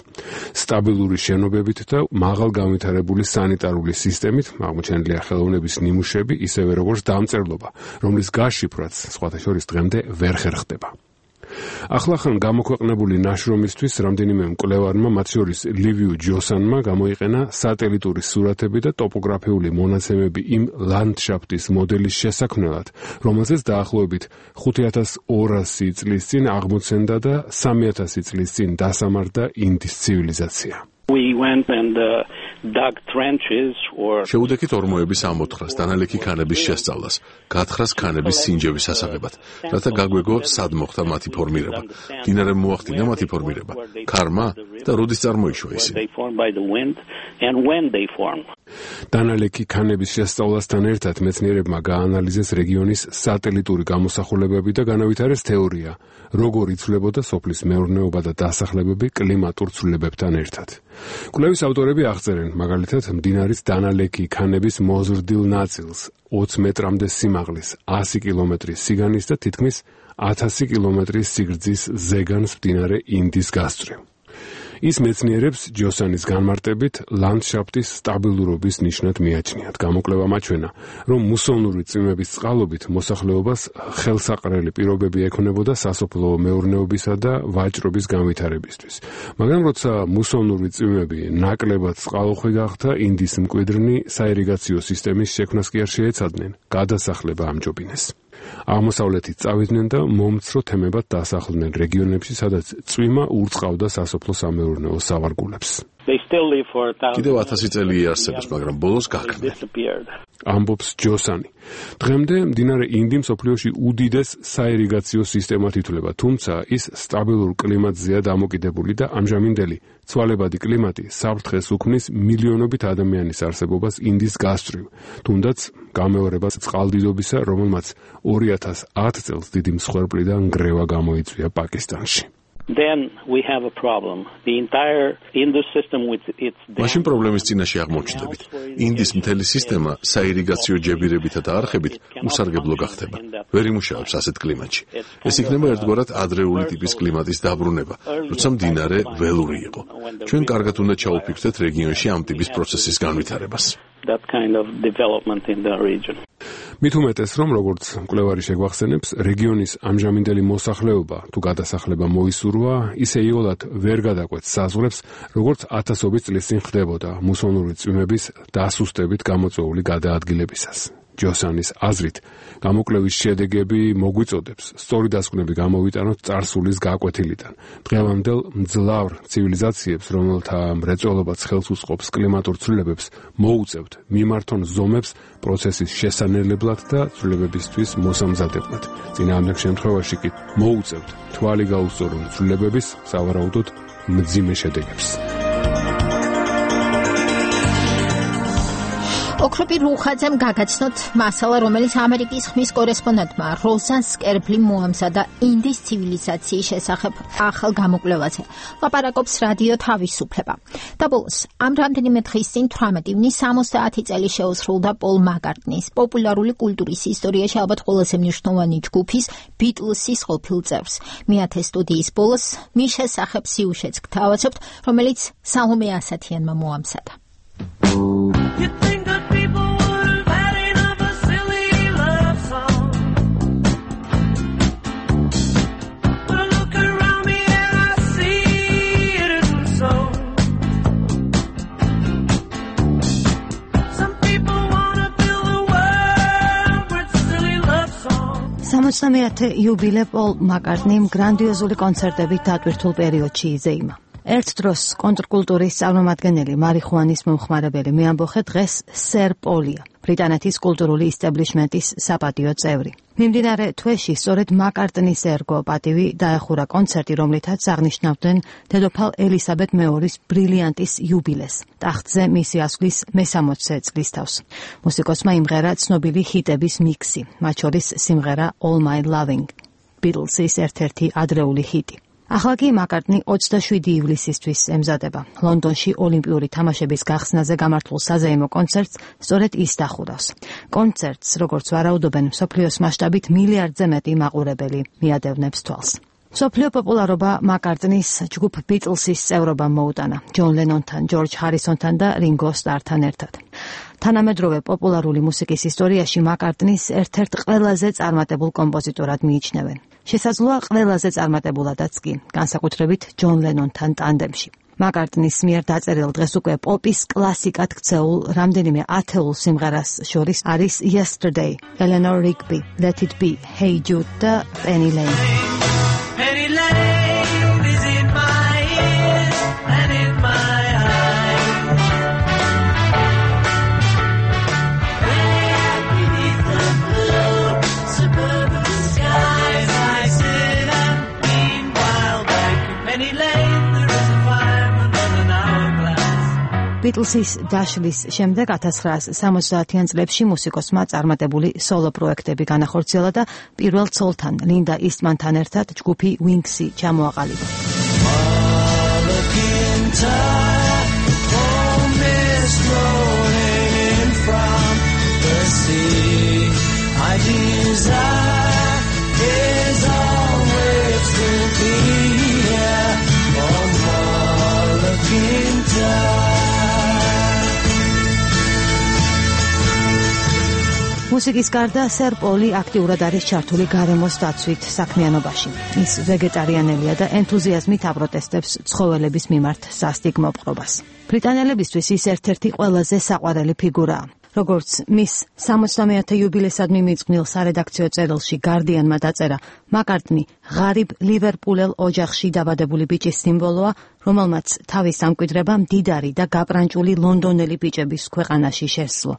სტაბილური შენობებით და მაღალ განვითარებული სანიტარული სისტემით აღმოჩენილია ხელოვნების ნიმუშები, ისევე როგორც დამწერლობა, რომლის გაშიფრვაც სხვათა შორის დღემდე ვერ ხერხდება. ახლახან გამოქვეყნებული ნაშრომისთვის რამდენიმე მკვლევარმა, მათ შორის ლივიუ ჯოსანმა, გამოიყენა სატელიტური სურათები და ტოპოგრაფიული მონაცემები იმ ლანდშაფტის მოდელის შესაქმნელად, რომელზეც დაახლოებით ხუთი ათას ორასი წლის წინ აღმოცენდა და სამი ათასი წლის წინ დასამარდა ინდის ცივილიზაცია. We went and uh, dug trenches or შეუდექით ორმოების ამოთხრას, დანალექი ქანების შესწავლას, გაათხრას ქანების სინჯების ასაღებად, რათა გაგვეგო სად მოხდა მათი ფორმირება, მდინარე მოახდინა მათი ფორმირება, ქარმა და როდის წარმოიშვა ისინი. დანალექი ქანების შესწავლასთან ერთად მეცნიერებმა გაანალიზეს რეგიონის სატელიტური გამოსახულებები და განავითარეს თეორია, როგორ იცვლებოდა სოფლის მეურნეობა და დასახლებები კლიმატურ ცვლილებებთან ერთად. კვლევის ავტორები აღწერენ, მაგალითად, მდინარის დანალექი ქანების მოზრდილ ნაწილს, ოცი მეტრამდე სიმაღლის, ასი კილომეტრის სიგანის და თითქმის ათასი კილომეტრის სიგრძის ზეგანს მდინარე ინდის გასწვრივ. ის მეცნიერებს ჯოსანის განმარტებით ლანდშაფტის სტაბილურობის ნიშნად მიაჩნიათ. გამოკვლევა მაჩვენა, რომ მუსონური წვიმების წყალობით მოსახლეობას ხელსაყრელი პირობები ექნებოდა სასოფლო მეურნეობისა და ვაჭრობის განვითარებისთვის. მაგრამ როცა მუსონური წვიმები ნაკლებად წყალუხვი გახდა, ინდის მკვიდრნი საირიგაციო სისტემის შექმნას კი არ შეეცადნენ, გადასახლება ამჯობინეს. აღმოსავლეთით წავიდნენ და მომცრო თემებად დასახლდნენ რეგიონებში, სადაც წვიმა ურწყავდა სასოფლო სამეურნეო სავარგულებს. კიდევ ათასი წელი იარსებებს, მაგრამ ბოლოს გაქრნენ. ამბობს ჯოსანი. დღემდე მდინარე ინდი მსოფლიოში უდიდეს საირიგაციო სისტემად ითვლება, თუმცა ის სტაბილურ კლიმატზეა დამოკიდებული და ამჟამინდელი ცვალებადი კლიმატი საფრთხეს უქმნის მილიონობით ადამიანის არსებობას ინდის გასწვრივ, თუნდაც გამეორება წყალდიდობისა, რომელმაც ორი ათას ათ წელს დიდი მსხვერპლი და ნგრევა გამოიწვია პაკისტანში. Then we have a problem. The entire Indus system with its მაშინ პრობლემის წინაშე აღმოჩნდებით. ინდის მთელი სისტემა საირიგაციო ჯებირებითა და არხებით უსარგებლო გახდება. ვერ იმუშავებს ასეთ კლიმატში. ეს იქნება ერთგვარად ადრეული ტიპის კლიმატის დაბრუნება, როცა მდინარე ველური იყო. ჩვენ კარგად უნდა ჩაუფიქრდეთ რეგიონში ამ ტიპის პროცესის განვითარებას. That kind of development in the region. მით უმეტეს, რომ როგორც მკვლევარი შეგვახსენებს, რეგიონის ამჟამინდელი მოსახლეობა თუ გადასახლება მოისურვა, ისე იოლად ვერ გადაკვეთს საზღვრებს, როგორც ათასობით წლის წინ ხდებოდა მუსონური წვიმების დასუსტებით გამოწვეული გადაადგილებისას. ჯოსანის აზრით, გამოკვლევის შედეგები მოგვიწოდებს სწორი დასკვნები გამოვიტანოთ წარსულის გაკვეთილიდან. დღევანდელ მძლავრ ცივილიზაციებს, რომელთა მრეწველობაც ხელს უწყობს კლიმატურ ცვლილებებს, მოუწევთ მიმართონ ზომებს პროცესის შესანელებლად და ცვლილებებისთვის მოსამზადებლად. წინააღმდეგ შემთხვევაში კი მოუწევთ თვალი გაუსწორონ ცვლილებების, სავარაუდოდ მძიმე შედეგებს. ოქროპი რუხაძემ გაგაცნოთ მასალა, რომელიც ამერიკის ხმის კორესპონდენტმა როზან სკერბლიმ მოამზადა ინდის ცივილიზაციის შესახებ ახალ გამოკვლევაზე. ლაპარაკობს რადიო თავისუფლება. და ბოლოს, ამ რამდენიმე დღის წინ თვრამეტი ივნის სამოცდაათი წელი შეუსრულდა პოლ მაკარტნის, პოპულარული კულტურის ისტორიაში ალბათ ყველაზე მნიშვნელოვანი ჯგუფის ბიტლსის ყოფილ წევრს. მეათე სტუდიის ბოლოს მის შესახებ სიუჟეტს გთავაზობთ, რომელიც სალომე ასათიანმა მოამზადა. სამოცდამეათე იუბილე პოლ მაკარტნიმ გრანდიოზული კონცერტებით დატვირთულ პერიოდში იზეიმა. ერთ დროს კონტრკულტურის წარმომადგენელი მარიხუანის მომხმარებელი მეამბოხე დღეს სერ პოლია, ბრიტანეთის კულტურული ისტაბლიშმენტის საპატიო წევრი. მიმდინარე თვეში სწორედ მაკარტნის ერგო პატივი დაეხურა კონცერტი, რომლითაც აღნიშნავდნენ დედოფალ ელისაბედ მეორის ბრილიანტის იუბილეს, ტახტზე მისი ასვლის მესამოცე წლის თავს. მუსიკოსმა იმღერა ცნობილი ჰიტების მიქსი, მათ შორის სიმღერა All My Loving, ბიტლსის ერთ-ერთი ადრეული ჰიტი. ახლა კი მაკარტნი ოცდაშვიდი ივლისისთვის ემზადება. ლონდონში ოლიმპიური თამაშების გახსნაზე გამართულ საზეიმო კონცერტს სწორედ ის დახურავს. კონცერტს, როგორც ვარაუდობენ, მსოფლიოს მასშტაბით მილიარდზე მეტი მაყურებელი მიადევნებს თვალს. მსოფლიო პოპულარობა მაკარტნის ჯგუფ ბიტლსის წევრობამ მოუტანა, ჯონ ლენონთან, ჯორჯ ჰარისონთან და რინგო სტართან ერთად. თანამედროვე პოპულარული მუსიკის ისტორიაში მაკარტნის ერთ-ერთ ყველაზე წარმატებულ კომპოზიტორად მიიჩნევენ. შესაძლოა ყველაზე წარმატებულადაც კი, განსაკუთრებით ჯონ ლენონთან ტანდემში. მაკარტნის მიერ დაწერილ დღეს უკვე პოპის კლასიკად ქცეულ რამდენიმე ათეულ სიმღერას შორის არის Yesterday, Eleanor Rigby, Let It Be, Hey Jude და Penny Lane. Penny Lane is in my ears and in my eyes. There beneath the blue suburban skies, I sit and meanwhile back in Penny Lane there is a fireman on an hourglass. ბიტლსის დაშლის შემდეგ ათას ცხრაასი სამოცდაათიან წლებში მუსიკოსმა წარმატებული სოლო პროექტები განახორციელა და პირველ ცოლთან, ლინდა ისტმანთან ერთად ჯგუფი Wings-ი ჩამოაყალიბა. მუსიკის გარდა სერ პოლი აქტიურად არის ჩართული გარემოს დაცვით საქმიანობაში. ის ვეგეტარიანელია და ენთუზიაზმით აპროტესტებს ცხოველების მიმართ სასტიკ მოპყრობას. ბრიტანელებისთვის ის ერთ-ერთი ყველაზე საყვარელი ფიგურაა. როგორც მის სამოცდამეათე იუბილესადმი მიწყვნილ სარედაქციო წერილში გარდიანმა დაწერა, მაკარტნი ღარიბ ლივერპულელ ოჯახში დაბადებული ბიჭის სიმბოლოა, რომელმაც თავის ამკვიდრება მდიდარი და გაპრანჭული ლონდონელი ბიჭების ქვეყანაში შესძლო.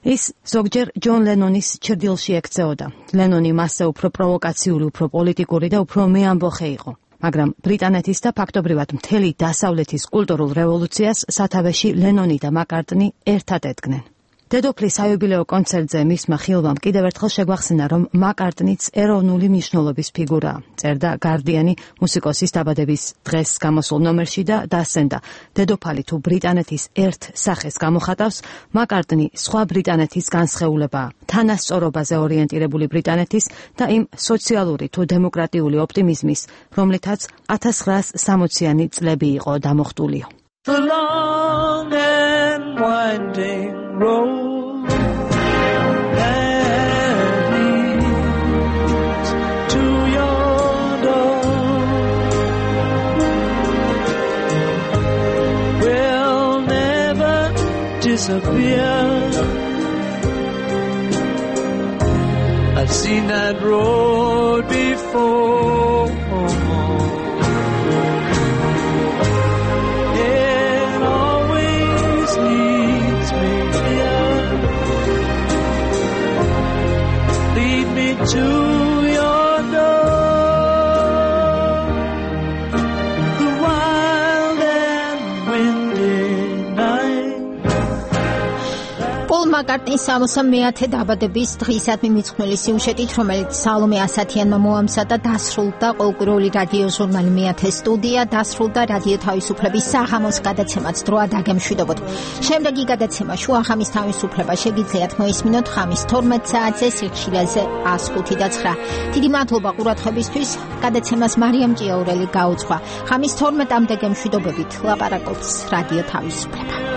ის ზოგჯერ ჯონ ლენონის ჩრდილში ექცეოდა. ლენონი მასზე უფრო პროვოკაციული, უფრო პოლიტიკური და უფრო მეამბოხე იყო. მაგრამ ბრიტანეთის და ფაქტობრივად მთელი დასავლეთის კულტურულ რევოლუციას სათავეში ლენონი და მაკარტნი ერთად ედგნენ. დედოფლის საიუბილეო კონცერტზე მისმა ხილვამ კიდევ ერთხელ შეგვახსენა, რომ მაკარტნიც ეროვნული მნიშვნელობის ფიგურაა. წერდა გარდიანი მუსიკოსის დაბადების დღეს გამოსულ ნომერში და დასცენდა, დედოფალი თუ ბრიტანეთის ერთ სახეს გამოხატავს, მაკარტნი სხვა ბრიტანეთის განსხეულებაა, თანასწორობაზე ორიენტირებული ბრიტანეთის და იმ სოციალური თუ დემოკრატიული ოპტიმიზმის, რომლითაც ათას ცხრაასი სამოციანი წლები იყო დამოხტულიო. The long and winding road that leads to your door will never disappear I've seen that road before. It always leads me here. Lead me to your door. The wild and windy night. პოლ მაკარტნის სამოცდე მეათე დაბადების დღისადმი მიძღვნილი სიუჟეტით, რომელიც სალომე ასათიანმა მოამზადა, დასრულდა ყოველკვირეული რადიო ჟურნალი მეათე სტუდია, დასრულდა რადიო თავისუფლების საღამოს გადაცემაც დროა დაგემშვიდობოთ. შემდეგი გადაცემა შუახამის თავისუფლება შეგიძლიათ მოისმინოთ ხამის თორმეტ საათზე სიხშირეზე ას ხუთი და ცხრა. დიდი მადლობა ყურადღებისთვის. გადაცემას მარიამ ჭიაურელი გაუძღვა. ხამის თორმეტამდე გემშვიდობებით ლაპარაკობს რადიო თავისუფლება.